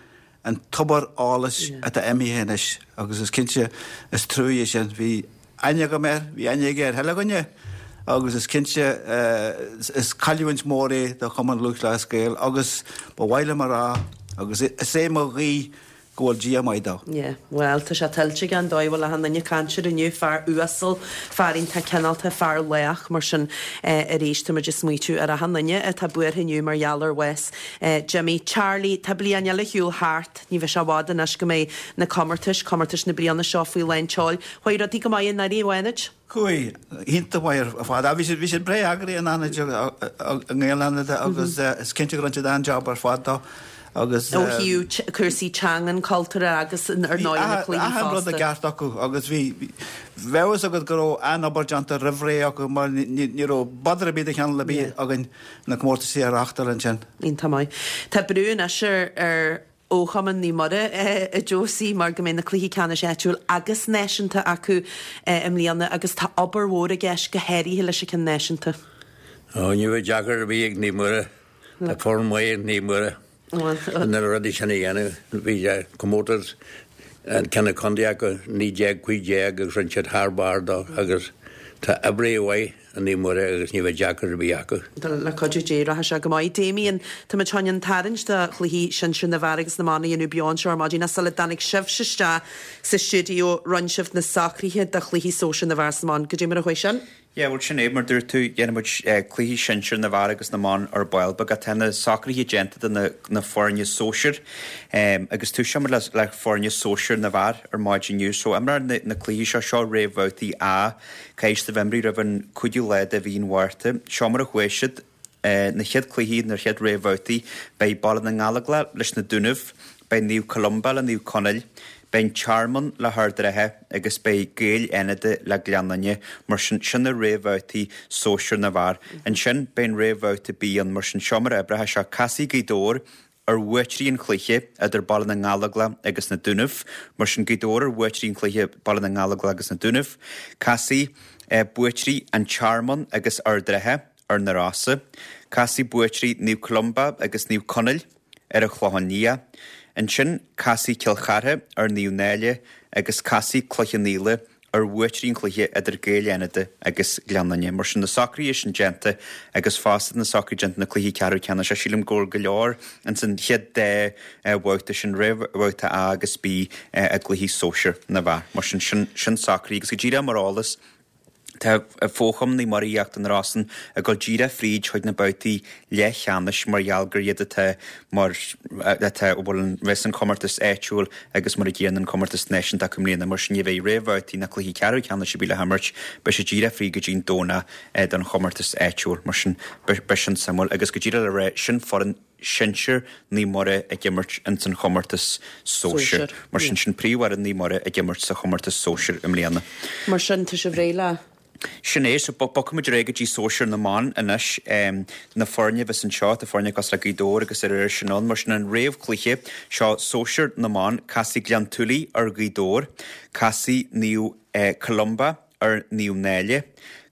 an tobar eolais atá imithe anois agus is cinnte is trua é sin. Bhí aithne agam air, bhí aithne aige ar chuile dhuine agus is cinnte is cailliúint mhór é do Chumann Lúthchleas Gael agus ba mhaith liom a rá agus is é mo ghuí go bhfuil Dia maith dó. Yeah, bhuel, tá sé tuillte aige an dóigh a bhfuil achan duine ag caint air inniu, fear uasal, fear iontach cineálta, fear lách, mar sin arís tá muid ag smaoitiú ar achan duine atá buartha inniu mar gheall ar bhás Jimmy. Charlie, tá bliain eile ar shiúl thart, ní bheidh sé i bhfad anois go mbeidh na comórtais, comórtais na bliana seo faoi lán tseoil. Chuaigh rudaí go maith i nDoire, a Fhánaid? Chuaigh, iontach maith ar fad. Bhí siad, bhí siad breá eagraithe in Fhánada, i nGaeil Fhánada agus is cinnte go rinne siad an-jab ar fad dó agus. Ó thaobh cúrsaí teangan, cultúrtha agus ar ndóigh na cluichí fosta. Achan rud i gceart acu agus bhí, bheadh a fhios agat go raibh an-obair déanta roimh ré acu mar ní raibh bother ar bith de chineál ar bith againn na comórtaisí a reáchtáil ansin. Iontach maith. Tá brú anois ar, ar Fhochumann Naomh Muire a Josie mar go mbeidh na cluichí ceannais áitiúil agus náisiúnta acu i mbliana agus tá obair mhór i gceist go háirithe leis an ceann náisiúnta. Ó, ní bheidh deacair ar bith ag Naomh Muire. Tá foireann mhaith ag Naomh Muire na rudaí sin a dhéanamh. Bhí comórtas an ceann contae acu 1915 agus rinne siad thar barr dó agus tá oibrithe mhaith i Naomh Muire agus ní bheidh deacair ar bith acu. Le cuidiú Dé rachaidh sé go maith. Damien, tá muid chun an tarraingt do chluichí sinsir na bhfear agus na mban a dhéanamh beo anseo ar maidin ach sula dtáinig sibhse isteach sa stiúideo rinne sibh na socruithe do chluichí sóisir na bhfear is na mban. Goidé mar a chuaigh sin? Yeah, bhuel sin é, mar dúirt tú, dhéanfaidh muid cluichí sinsir na bhfear agus na mban ar ball beag. Tá na socruithe déanta do na na foirne sóisir agus toiseoidh muid le le foirne sóisir na bhfear ar maidin inniu. So imreofar na na cluichí seo, seo réamhbhabhtaí A. Caithfidh siad a bheith imrithe roimh an 5ú lá de mhí an Mhárta. Seo mar a chuaigh siad. Na chéad cluichí, na chéad réamhbhabhtaí, beidh Baile na nGallóglach leis na Dúnaibh, beidh Naomh Columba le Naomh Conaill, beidh An Tearmann le hArd an Rátha agus beidh Gaeil Fhánada le Gleann Fhinne. Mar sin, sin na réamhbhabhtaí sóisir na bhfear. Ansin, beidh an réamhbhabhta B ann. Mar sin, seo mar a oibreoidh sé. Casfaidh Gaoth Dobhair ar bhuaiteoirí an chluiche idir Baile na nGallóglach agus na Dúnaibh. Mar sin, Gaoth Dobhair ar bhuaiteoirí an chluiche Baile na nGallóglach agus na Dúnaibh. Casfaidh buaiteoirí An Tearmann agus Ard an Rátha ar na Rosa. Casfaidh buaiteoirí Naomh Columba agus Naomh Conaill ar an Chlochán Liath. Ansin, casfaidh Cill Chartha ar Naomh Náille agus casfaidh Cloich Cheann Fhaola ar bhuaiteoirí an chluiche idir Gaeil Fhánada agus Gleann Fhinne. Mar sin, na socruithe sin déanta agus fosta na socruithe déanta na cluichí ceathrú ceannais, sílim go bhfuil go leor ins an chéad dá bhabhta sin, réamhbhabhta A agus B i gcluichí sóisir na bhfear. Mar sin, sin sin socruithe agus go díreach mar eolas, tá Fo-Chumann Naomh Muire Íochtar na Rosann ag dul díreach fríd chuig na babhtaí leathcheannais mar gheall gur iad atá mar atá a bhfuil an bheas an comórtas áitiúil agus mar a gcéanna an comórtas náisiúnta acu i mbliana. Mar sin ní bheidh réamhbhabhtaí ná cluichí ceathrú ceannais ar bith le himirt, beidh siad díreach fríd go dtí an Domhnach don chomórtas áitiúil. Mar sin beidh sin suimiúil agus go díreach le rá sin foireann sinsir Naomh Muire ag imirt ins an chomórtas sóisir. Mar sin sin príomhfhoireann Naomh Muire ag imirt sa chomórtas sóisir i mbliana. Mar sin tá sibh réidh le. Sin é, so bogfaidh muid ar aghaidh go dtí sóisir na mban anois. Na foirne a bheas anseo, tá foirne cosúil le Gaoth Dobhair agus ar sin ann, mar sin an réamhchluiche seo sóisir na mban, casfaidh Gleann tSúilí ar Ghaoth Dobhair, casfaidh Naomh Columba ar Naomh Náille,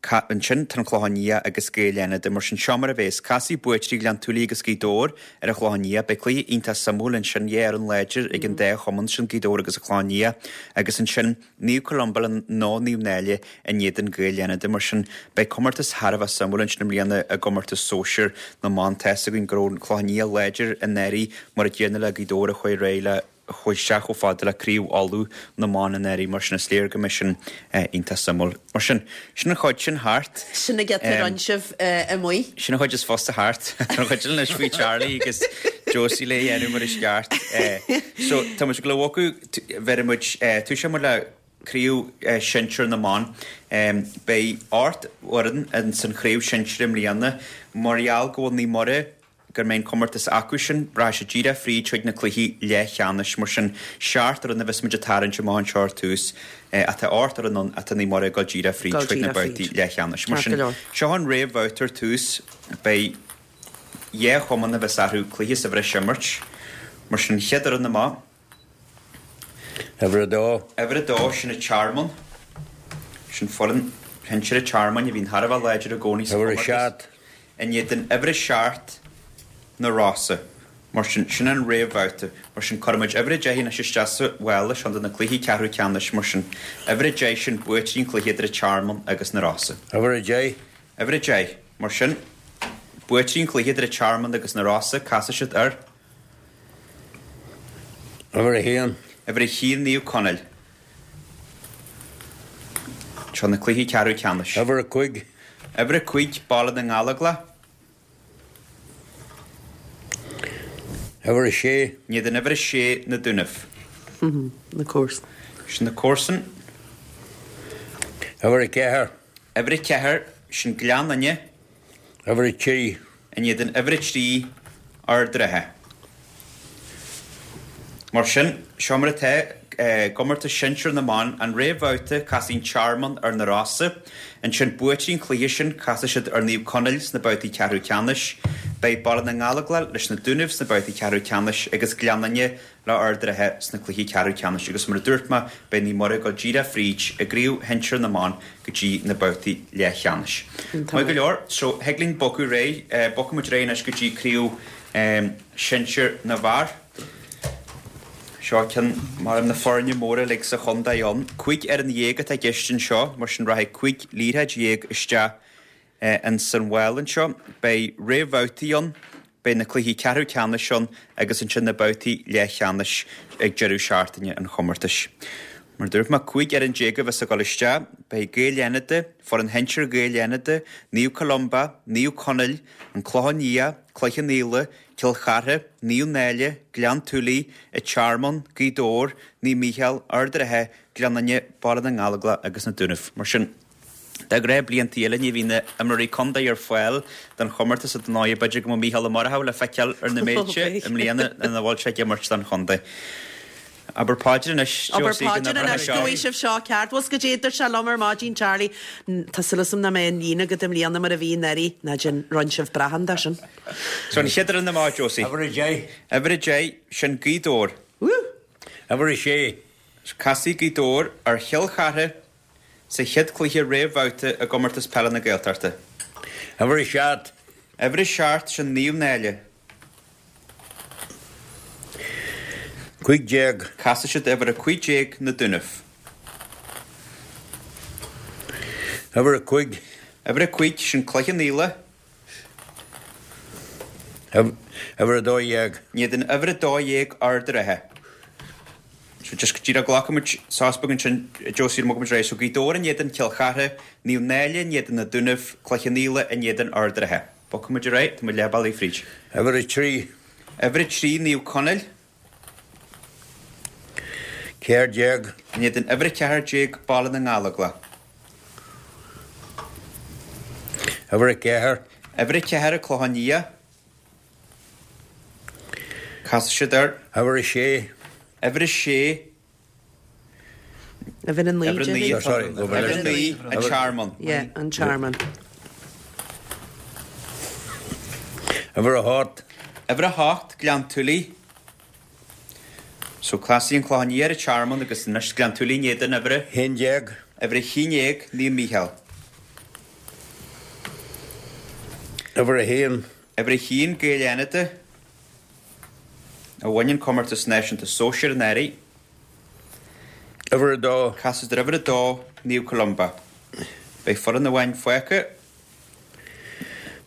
ansin tá an Clochán Liath agus Gaeil Fhánada, mar sin seo mar a bheas, casfaidh buaiteoirí Ghleann tSúilí agus Gaoth Dobhair ar an Chlochán Liath, beidh cluiche iontach suimiúil ansin, dhá fhoireann láidir ag an dá chumann sin, Gaoth Dobhair agus an Clochán Liath, agus ansin. Naomh Columba nó Naomh Náille in éadan Gaeil Fhánada. Mar sin, beidh comórtas thar a bheith suimiúil ansin i mbliana i gcomórtas sóisir na mban. Tá's againn go raibh an Clochán Liath láidir anuraidh mar a gcéanna le Gaoth Dobhair a chuaigh ar aghaidh le chuaigh isteach chomh fada le Craobh Uladh na mban anuraidh. Mar sin, is léir go mbeidh sin iontach suimiúil. Mar sin, sin an chuid sin thart. Sin an giota a rinne sibh amuigh. Sin an chuid is fusa thart. Tá an chuid eile anois faoi Charlie agus Josie le dhéanamh mar is ceart. So, tá muid ag dul a bhogadh. Bheir muid, toiseoidh muid le Craobh Shinsir na mBan. Beidh 8 bhfoireann ins an chraobh shinsir i mbliana. Mar gheall go bhfuil Naomh Muire, go mbeidh an comórtas acu sin, rachaidh siad díreach fríd chuig na cluichí leathcheannais. Mar sin, seacht fhoireann a bheas muid ag tarraingt amach anseo ar tús. Ach tá 8 fhoireann ann ach tá Naomh Muire ag dul díreach fríd chuig na babhtaí leathcheannais. Mar sin, seo an réamhbhabhta ar tús. Beidh dhá chumann a bheas orthu cluiche sa bhreis a imirt. Mar sin, an chéad fhoireann amach. Uimhir a dó. Uimhir a dó, sin an Tearmann. Sin foireann. shinsir an Tearmainn a bhíonn thar a bheith láidir i gcónaí sa Uimhir a chomórtas. 7. In éadan uimhir a 7, Na Rosa. Mar sin, sin an réamhbhabhta. Mar sin, cuirfidh muid uimhir a 10 anois isteach sa mhála sin do na cluichí ceathrú ceannais. Mar sin, uimhir a 10 sin buaiteoirí an chluiche idir an Tearmann agus Na Rosa. Uimhir a 10. Uimhir a 10. Mar sin, buaiteoirí an chluiche idir an Tearmann agus Na Rosa, casfaidh siad ar. Uimhir a haon. Uimhir a haon, Naomh Conaill. Seo na cluichí ceathrú ceannais. Uimhir a cuig. Uimhir a cuig, Baile na nGallóglach. Uimhir a sé. In éadan uimhir a sé, Na Dúnaibh. Na comharsain. Sin na comharsain. Uimhir a ceathair. Uimhir a ceathair, sin Gleann Fhinne. Uimhir a trí. In éadan uimhir a 3, Ard an Rátha. Mar sin, seo mar atá i gcomórtas sinsir na mban, an réamhbhabhta, casfaidh an Tearmann ar na Rosa. Ansin, buaiteoirí an chluiche sin, casfaidh siad ar Naomh Conaill sna babhtaí ceathrú ceannais. Beidh Baile na nGallóglach leis na Dúnaibh sna babhtaí ceathrú ceannais agus Gleann Fhinne le Ard an Rátha sna cluichí ceathrú ceannais agus mar a dúirt mé, beidh Naomh Muire ag dul díreach fríd i gcraobh shinsir na mban go dtí na babhtaí leathcheannais. Maith go leor, so thig linn bogadh ar aghaidh, bogfaidh muid ar aghaidh anois go dtí craobh sinsir na bhfear. Seo ceann mar na foirne móra uilig sa chontae ann. 15 fhoireann atá i gceist anseo, mar sin rachaidh 15 liathróid isteach Ins an mhála anseo, beidh réamhbhabhtaí ann, beidh na cluichí ceathrú ceannais ann agus ansin na babhtaí leathcheannais ag deireadh seachtaine an chomórtais. Mar a dúirt mé, 15 fhoireann a bheas ag dul isteach. Beidh Gaeil Fhánada, foireann shinsir Ghaeil Fhánada, Naomh Columba, Naomh Conaill, An Clochán Liath, Cloich Cheann Fhaola, Cill Chartha, Naomh Náille, Gleann tSúilí, An Tearmann, Gaoth Dobhair, Naomh Mícheál, Ard an Rátha, Gleann Fhinne, Baile na nGallóglach agus na Dúnaibh. Mar sin. De ghnáth blianta eile ní bhíonn na imreoirí contae ar fáil don chomórtas ar ndóigh b'fhéidir go mbeadh Mícheál Ó Murchú le feiceáil ar na mílte i mbliana ina bhfuil sé ag imirt don chontae. Abair paidir anois, Abair Josie, go paidir n-oibreoidh anois seo. go bhfaighidh sibh seo ceart. Bhuel 's goidé a dúirt sé liom ar maidin, Charlie, tá súil agam nach mbeidh an líon agat i mbliana mar a bhí anuraidh. Ná déan, rinne sibh brachán de sin. So an chéad fhoireann amach, Josie. Uimhir a deich. Uimhir a deich, sin Gaoth Dobhair. Woo! Uimhir a sé. Casfaidh Gaoth Dobhair ar Chill Chartha Sa chéad chluiche réamhbhabhta i gComórtas Peile na Gaeltachta. Uimhir a seacht. Uimhir a seacht, sin Naomh Náille. 15. Casfaidh siad uimhir a 15, Na Dúnaibh. Uimhir a cuig. Uimhir a cuig, sin Cloich Cheann Fhaola. Uimhir a 12. In éadan uimhir a 12 Ard an Rátha. So just go díreach glacfaidh muid sos beag ansin Josie ar mbogfaidh muid ar aghaidh. So Gaoth Dobhair in éadan Cill Chartha, Naomh Náille in éadan na Dúnaibh, Cloich Cheann Fhaola in éadan Ard an Rátha. Bogfaidh muid ar aghaidh, tá muid leath bealaigh fríd. Uimhir a 3. Uimhir a 3 Naomh Conaill. 14. In éadan uimhir a 14 Baile na nGallóglach. Uimhir a 4. Uimhir a 4 An Clochán Liath. Casfaidh siad ar. Uimhir a 6. Uimhir a 6. Uimhir a 9. Uimhir a 9. Sorry, Uimhir a 9 An Tearmann. Yeah, an Tearmann. Uimhir a 8. Uimhir a 8 Gleann tSúilí. So casfaidh an Clochán Liath ar an Tearmann agus anois Gleann tSúilí in éadan uimhir a. 11. Uimhir a 11, Naomh Mícheál. Uimhir a 1. Uimhir a 1, Gaeil Fhánada, a bhain an comórtas náisiúnta sóisir anuraidh. Uimhir a 2. Casfaidh siad ar uimhir a 2, Naomh Columba. Beidh foireann amháin fágtha.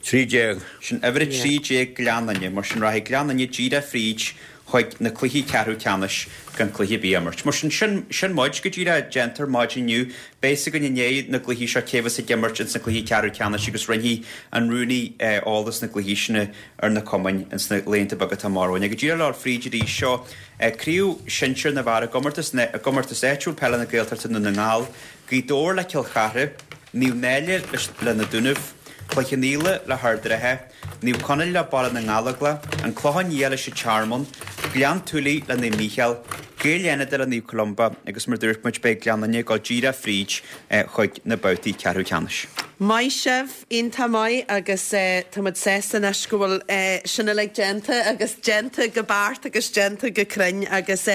13. Sin uimhir a 13 Gleann Fhinne. Mar sin rachaidh Gleann Fhinne díreach fríd chuig na cluichí ceathrú ceannais gan cluiche ar bith a imirt. Mar sin, sin, sin muid go díreach déanta ar maidin inniu. Beidh fhios againn i ndiaidh na gcluichí seo cé bheas ag imirt ins na cluichí ceathrú ceannais agus roinnfidh an rúnaí eolas na gcluichí sin ar na cumainn ins na laethanta beaga atá amach romhainn. Go díreach le fríd arís seo craobh shinsir na bhfear i gcomórtas, i gcomórtas áitiúil peile na Gaeltachta Dún na nGall. Gaoth Dobhair le Cill Chartha, Naomh Náille le Na Dúnaibh, Cloich Cheann Fhaola le hArd an Rátha, Naomh Conaill le Baile na nGallóglach, An Clochán Liath leis an Tearmann, Gleann tSúilí le Naomh Mícheál, Gaeil Fhánada le Naomh Columba agus mar dúirt muid beidh Gleann Fhinne ag dul díreach fríd chuig na babhtaí ceathrú ceannais. Maith sibh, iontach maith agus tá muid sásta anois go bhfuil sin uilig déanta agus déanta go beacht agus déanta go cruinn agus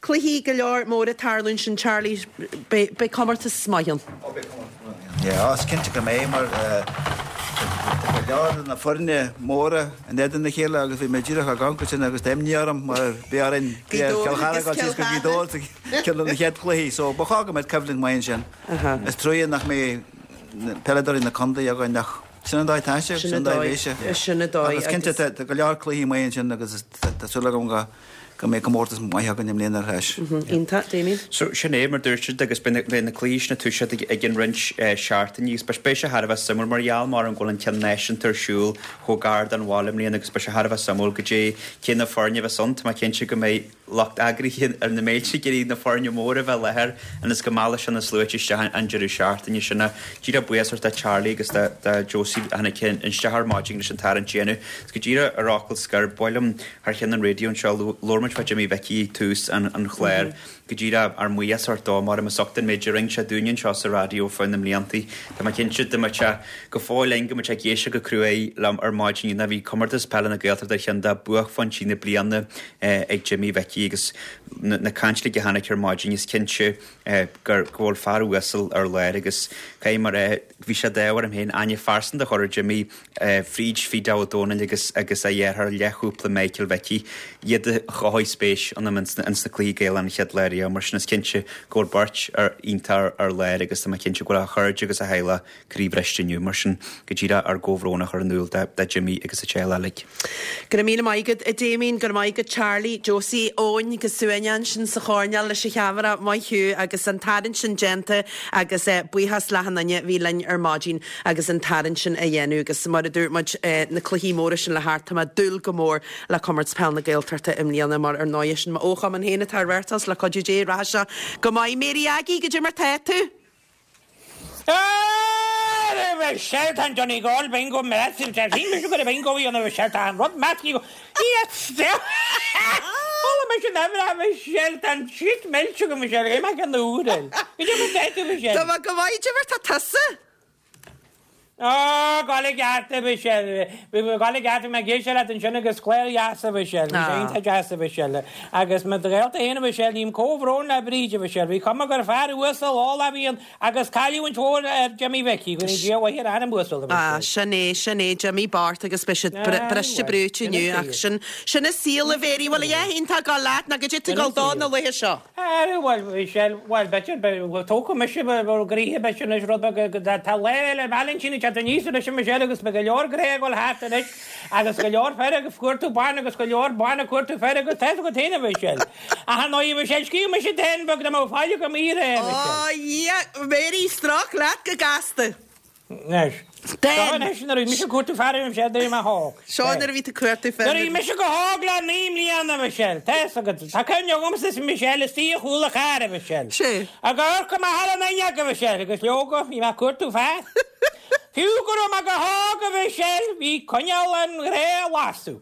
Cluichí go leor mór ag tarlú ansin Charlie, beidh comórtas maith ann. Ó beidh comórtas maith ann. Yeah, is cinnte go mbeidh mar tá go leor de na foirne móra in éadan a chéile agus bhí mé díreach ag amharc ansin agus tá imní orm mar bhí orainn bhí ar Chill Chartha dul síos go Gaoth Dobhair sa ceann de na chéad chluichí so ba chóir go mbeadh coimhlint maith ansin. Is trua nach mbeidh peileadóirí na contae againn ach sin an dóigh atá sé, sin an dóigh a bheidh sé. Sin an dóigh agus cinnte tá go leor cluichí maith ansin agus tá súil agam go go mbeidh comórtas maith againn i mbliana ar ais. Iontach, Damien. So, sin é, mar dúirt siad, agus beidh na cluichí sin ag toiseacht i gcionn roinnt seachtainí agus beidh sé thar a bheith suimiúil mar gheall mar an go bhfuil an ceann náisiúnta ar siúl chomh gar don bhaile i mbliana agus beidh sé thar a bheith suimiúil goidé cé na foirne a bheas ann. Tá mé cinnte go mbeidh lucht eagraithe ar na méilte ag iarraidh na foirne móra a bheith i láthair ionas go meallfaidh sé na sluaite isteach an deireadh seachtaine sin. Díreach buíochas do Charlie agus do Josie a tháinig isteach ar maidin leis an tarraingt a dhéanamh. Is go díreach ar fhocal scoir, ba mhaith liom Thar cheann an raidió anseo, labhair muid fá Jimmy Mhicí ag tús an chláir. Go díreach ár mbuíochas a thabhairt dó, mar is ucht an méid a rinne sé dúinne anseo sa raidió fá na mbliantaí. Tá mé cinnte dá mbeadh sé go fóill linn go mbeadh sé ag éisteacht go cruaidh liom ar maidin inniu. Bhí Comórtas Peile na Gaeltachta ar cheann de buaicphointí na bliana ag Jimmy Mhicí agus na caint uilig a tháinig ar maidin is cinnte gur go bhfuil fear uasal ar lár agus caithfidh mé a rá bhí sé d'ádh orm féin aithne phearsanta a chur ar Jimmy fríd Phete Ó Dónaill agus agus a dheartháir leathchúpla Michael Mhicí, iad a chothaigh spéis ionam ins na cluichí Gaelacha an chéad lá riamh. Mar sin is cinnte go bhfuil beirt iontach ar lár agus tá mé cinnte go bhfuil a chairde agus a theaghlach croíbhriste inniu. Mar sin go díreach ár gcomhbhrón a chur in iúl do Jimmy agus a teaghlach uilig. Go raibh míle maith agat a Damien, go raibh maith agat Charlie, Josie, Eoin go suaimhneach ansin sa choirnéal leis an cheamara, maith thú agus an tarraingt sin déanta agus buíochas le achan duine a bhí linn ar maidin. agus an tarraingt sin a dhéanamh agus mar a dúirt muid na cluichí móra sin le theacht tá mé ag dúil go mór le Comórtas Peil na Gaeltachta i mbliana mar ar ndóigh sin m'fhochumann féin atá á reáchtáil le cuidiú Dé rachaidh sé go maith. Mary Aggie, goidé mar tá tú? A Mhichelle, tá an Donegal Bingo massive, tá sí mise go raibh bingo a dhéanamh a Mhichelle, tá an rud measctha go Yes! Chuala mise an uimhir a Mhichelle, tá an shit millte agam a Mhichelle, cé mbeadh an uair eile? Goidé mar tá tú a Mhichelle? Tá mé go maith, goidé mar tá tusa? Ó, gabháil i gceart a Mhichelle. Bhí mé gabháil i gceart, bhí mé ag éisteacht leat ansin agus clár dheas a Mhichelle. Bhí sé iontach deas a Mhichelle. Agus mo ghaolta féin a Mhichelle, ním comhbhrón le Bríd a Mhichelle. Bhí cuma gur fear uasal eolach a bhí ann agus cailliúint mhór ar Jimmy Mhicí. Go ndéana Dia a mhaith ar a anam uasal a Ah, Mhichelle. sin é, sin é, Jimmy bocht agus beidh siad briste brúite inniu ach sin, sin an saol a Mhéirí. Bhfuil a dhath iontach ag dul leat nó goidé tá ag dul dó na laethe seo? Ara, bhuel, bhí sé, bhuel, b'fhéidir, bhuel, tógfaidh mise bhur gcroíthe, b'fhéidir anois, rud beag, tá Lá Fhéile Vailintín ag teacht aníos anois, a Mhichelle, agus beidh go leor grá ag dul thart anois, agus go leor fir ag cuartú ban agus go leor ban ag cuartú fir agus tá's agat féin, a Mhichelle. Ach ar ndóigh, a Mhichelle, scríobh mise dán beag dá mbeadh faill agam í a rá, a Mhichelle. Ó, a Dhia, Mary, stróic leat go gasta. Anois. Seo anois nuair a bhí mise ag cuartú fear a Mhichelle nuair a bhí mé hóg. Seo nuair a bhí tú ag cuartú fear. Nuair a bhí mise go hóg le 9 mbliana, a Mhichelle. Tá's agat. Tá cuimhne agamsa is Michelle istigh ar chúl an chairr, a Mhichelle. Sé. Ag amharc amach thar an fhuinneog, a Mhichelle, agus leoga, bhí mé ag cuartú fear. Fiú go raibh mé go hóg, a Mhichelle, bhí coinneal an ghrá ag lasadh.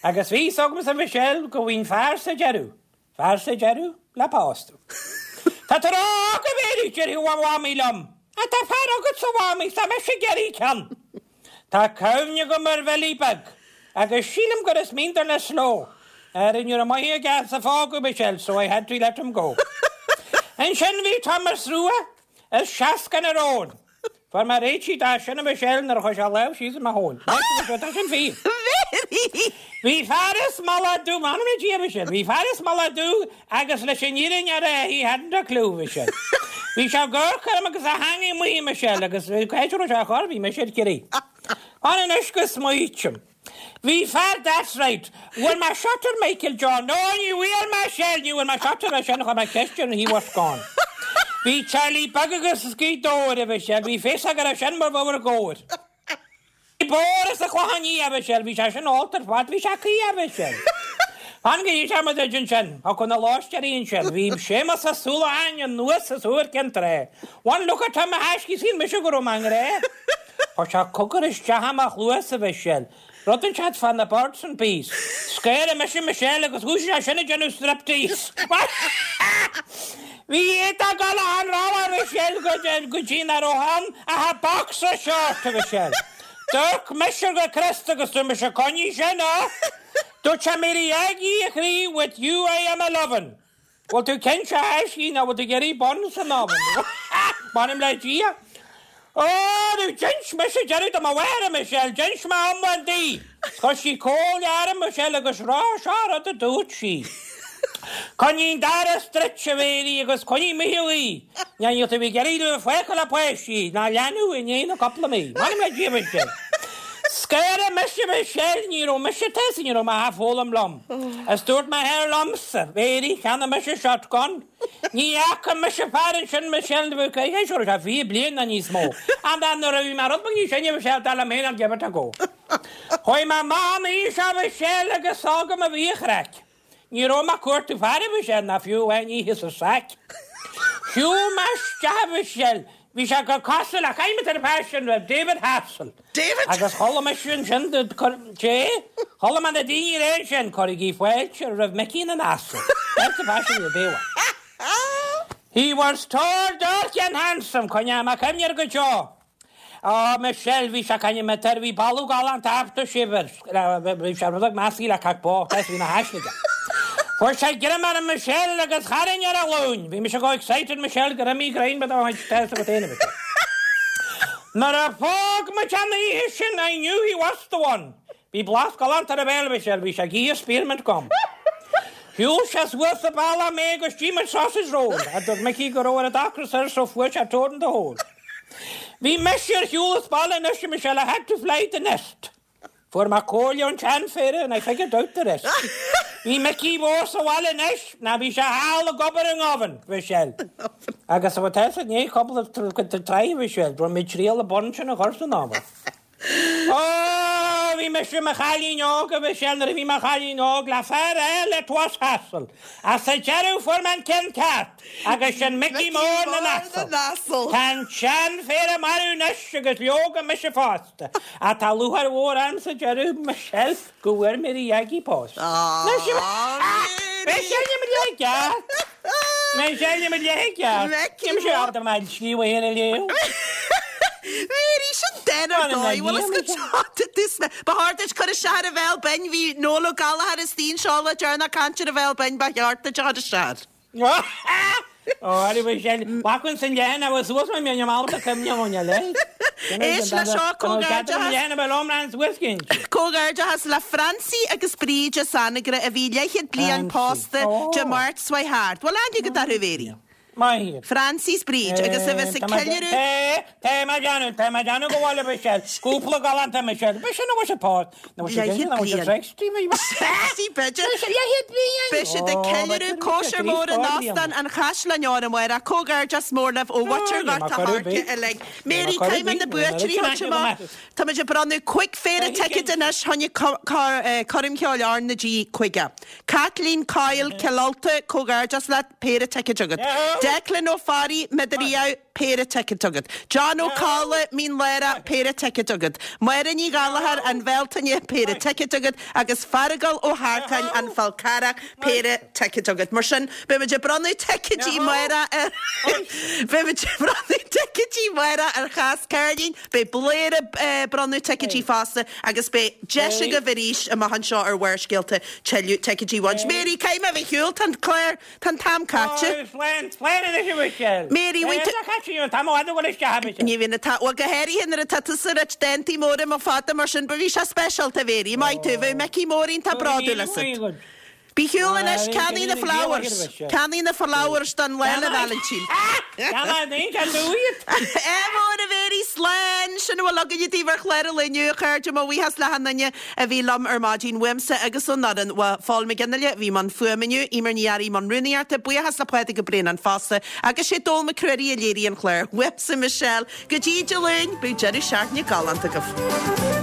Agus bhí fhios agamsa, a Mhichelle, go bhfaighinn fear sa deireadh. Fear sa deireadh le pósadh. Tá tú ró-óg a Mhéirí, déarfadh mo mhamaí liom. Ach tá fear agatsa a mhamaí, 's tá mise ag iarraidh ceann. Tá cuimhne agam ar Bhilly Beag, agus sílim gur as Mín na Sló. Ara ní raibh maith aige as a fágadh Michelle, so I had to let him go. Ansin bhí Thomas Rua is seascann ar Eoin. Fuair mé réitithe dó sin a Mhichelle nuair a chuir sé a lámh síos i mo thóin. Tá sin fíor. Bhí fear as Mullach Dubh, m'anam le Dia a Mhichelle, bhí fear as Mullach Dubh agus leis an fhírinne a rá he hadn't a clue a Mhichelle. Bhí sé ag amharc orm agus a theangaidh amuigh a Mhichelle agus cá háit a raibh sé á chur, bhí mise ar crith. Fan anois go smaoitim. Bhí fear that's right. Bhfuair mé shot ar Michael John. No, ní bhfuair mé Shell, ní bhfuair mé shot air sin, chuir mé ceist air and he was gone. Bhí Charlie beag agus as Gaoth Dobhair, a Mhichelle, bhí fios aige raibh sin mar bhur gcóir. Bhí Boris a Chlochán Liath, a Mhichelle, bhí sé sin ólta ar fad, bhí sé caoi, a Mhichelle. Fan go dtí sé muid ansin, thiocfadh na lóistéirí ansin, bhí Séamus Ó Súilleabháin anuas as Iúr Cinn Trá. One look at him a thaiscí, shíl mise go raibh mé i ngrá. Chuir sé cogar isteach i mo chluas, a Mhichelle. Rud inteacht fá na birds and bees. Scaoil mise Michelle agus dhúisigh sé sin ag déanamh striptease. Bhí iad ag dul achan rogha, a Mhichelle, go dtí nach raibh ann ach a boxer short, a Mhichelle. D'amharc mise go crosta agus dúirt mise coinnigh sin, á! Dúirt sé Mary Aggie, a chroí, with you I am a-lovin'. Bhfuil tú cinnte a thaiscí, nó bhfuil tú ag iarraidh bun san oven? M'anam le Dia. Ó, nó d'inis mise deireadh do mo mháthair, a Michelle, d'inis mé iomlán di. Chuir sí comhairle orm, Michelle, agus rá, seo rud a dúirt sí. Coinnigh an doras druidte, a Mhéirí, agus coinnigh Micheál í. Ní níl tú ag iarraidh tú a fágáil le páistí ná leanbh i ndiaidh na cúpla mí. M'anam le Dia, Michelle. Scanraigh mise, Michelle, ní raibh mise tusa, ní raibh mé á foghlaim liom. Is dúirt m'athair liomsa, Mhéirí, cheannaigh mise shotgun. Ní fhaca mise fear ansin Michelle na bhfuil cé seo raibh sé 20 bliain ná níos mó. And then nuair a bhí mé rud beag níos sine Michelle dar liom féin I'll give it a go. Chuaigh mé amach an oíche seo Michelle agus agam a bhí a chraic. Ní raibh mé ag cuartú fear a Mhichelle ná fiú amháin oíche sa saic. Shiúil mé isteach a Mhichelle, bhí sé go cosúil le caithfidh mé ar fear sin raibh David Hassel. David! Agus chuala mise ansin Dé, chuala mé na daoine ag rá ansin, cuirigí fáilte roimh Micí na nAsal. That's the fashion of the day. He was tall, dark and handsome, coinneoidh mé cuimhne air go deo. Á, Michelle, bhí sé caine me tar, bhí boladh galánta after shave air, bhí sé rud beag measctha le cac bocht, is bhí na haisle aige. Fuair sé greim orm Michelle agus tharraing ar a ghlúin. Bhí mise chomh excited Michelle gur imigh greim de mo chuid test agat féin Michelle. Nuair a phóg muid an oíche sin I knew he was the one. Bhí blas galánta ar a bhéal Michelle, bhí sé ag ithe spearmint gum. Shiúil sé suas an bealach mé agus d'ith muid sausage roll. A dúirt Micí go raibh ar an ocras air so fuair sé toad in the hole. Bhí mise ar shiúl as baile anois a Michelle, I had to fly the nest. Fuair mé comhairle ón tseanphéire and I figured out the rest. Bhí Micí Mór sa bhaile anois, ná bhí sé thall ag obair i nGovan, Michelle. Agus a bhfuil i ndiaidh cúpla tráth, Michelle, rinne mé triail an bun sin a chur san oven. Ó, bhí mise i mo chailín óg, a Mhichelle, nuair a bhí mé chailín óg, le fear eile, 'twas hassle. Ach sa deireadh fuair mé an ceann ceart, agus sin Micí Mór na nAsal. Tá an seanphéire marbh anois agus leoga mise fosta, ach tá lúcháir mhór orm sa deireadh, Michelle, go bhfuair Mary Aggie post. Anois, Michelle, mo leath gceart! Michelle, mo leath gceart! Níl mise ábalta mo scríobh féin a léamh. Mary, sin dán ar dóigh, bhfuil fhios agat tá tús mé. Ba chóir duit cur isteach ar an Bhéal Binn, bhí Noel Ó Gallchóir istigh anseo le deireanach ag caint ar an Bhéal Binn, ba cheart duit a chur isteach air. Ó, a Mhichelle, baclann san leathan agus suas mé mé ábalta cuimhneamh ón eile. Éist le seo, comhghairdeachas. Comhghairdeachas le Francie agus Bríd as Anagaire a bhí leathchéad bliain pósta Dé Máirt seo chuaigh thart. Bhfuil aithne agat orthu, a Mhéirí? Maith. Francie 's Bríd agus a bheas ag ceiliúradh. Tá mé ag déanamh, tá mé ag déanamh go bhfuil a Michelle. Cúpla galánta Michelle. B'shin a bhfuil siad pósta. Nó bhfuil siad Leathchéad nó bhfuil siad bliain. 60 bhí. 60 b'fhéidir. Leathchéad bliain! Beidh siad ag ceiliúradh cóisir mhór in Óstán an Chaisleáin Óir amárach. Comhghairdeas mór libh ó mhuintir Ghort a' Choirce uilig. Mary, caithfidh mé na buaiteoirí a thabhairt amach. Tá muid ag bronnadh 5 phéire ticéad anois choinne Coirm Cheoil R na G 50. Caitlín Coyle, Cill Ulta, comhghairdeas leat, péire ticéad agat. Declan Ó Fearraigh, Mín Lárach, péire ticéad agat. John Ó Cadhla, Mín Lárach, péire ticéad agat. Máire Ní Ghallchóir, An Bhealtaine, péire ticéad agat agus Feargal Ó hEarcáin, An Fál Carrach, péire ticéad agat. Mar sin, beidh muid ag bronnadh ticéidí amárach ar Beidh muid ag bronnadh ticéidí amárach ar Chás Cairlinn, beidh Blair ag bronnadh ticéidí fosta agus beidh deis agaibh arís amach anseo ar Bharrscéalta tuilleadh ticéidí a bhaint. Mary, caithfidh mé a bheith ar shiúl, tá an clár, tá an t-am caite. Ó, slán, slán anois a Mhichelle. Mary, bhfuil tú. Tá caite, an t-am i bhfad ag dul isteach a Mhichelle. Ní bhíonn an t-am, bhuel go háirithe nuair atá tusa ag ráit dántaí móra mo fada mar sin, ba bhí sé speisialta, a Mhary, maith tú, bheadh Micí Mór iontach bródúil asat. Bí ar shiúl anois, ceannaigh na flowers, ceannaigh na flowers don Lá 'le Vailintín. Ádh mór a Mhéirí, slán! Sin a bhfuil againne daoibh ar chlár an lae inniu, a chairde. Mo bhuíochas le hachan duine a bhí liom ar maidin, uaimse agus ón fhoireann. Uaidh Phól Mac Fhionnghaile a bhí i mbun fuaime inniu, Eimear Ní Fhearraigh i mbun rúnaíochta, buíochas le Pádraig Ó Braonáin fosta, agus sé Dónall Mac Ruairí a léirigh an clár. Uaimse Michelle, go dtí Dé Luain, bíodh deireadh seachtaine galánta agaibh.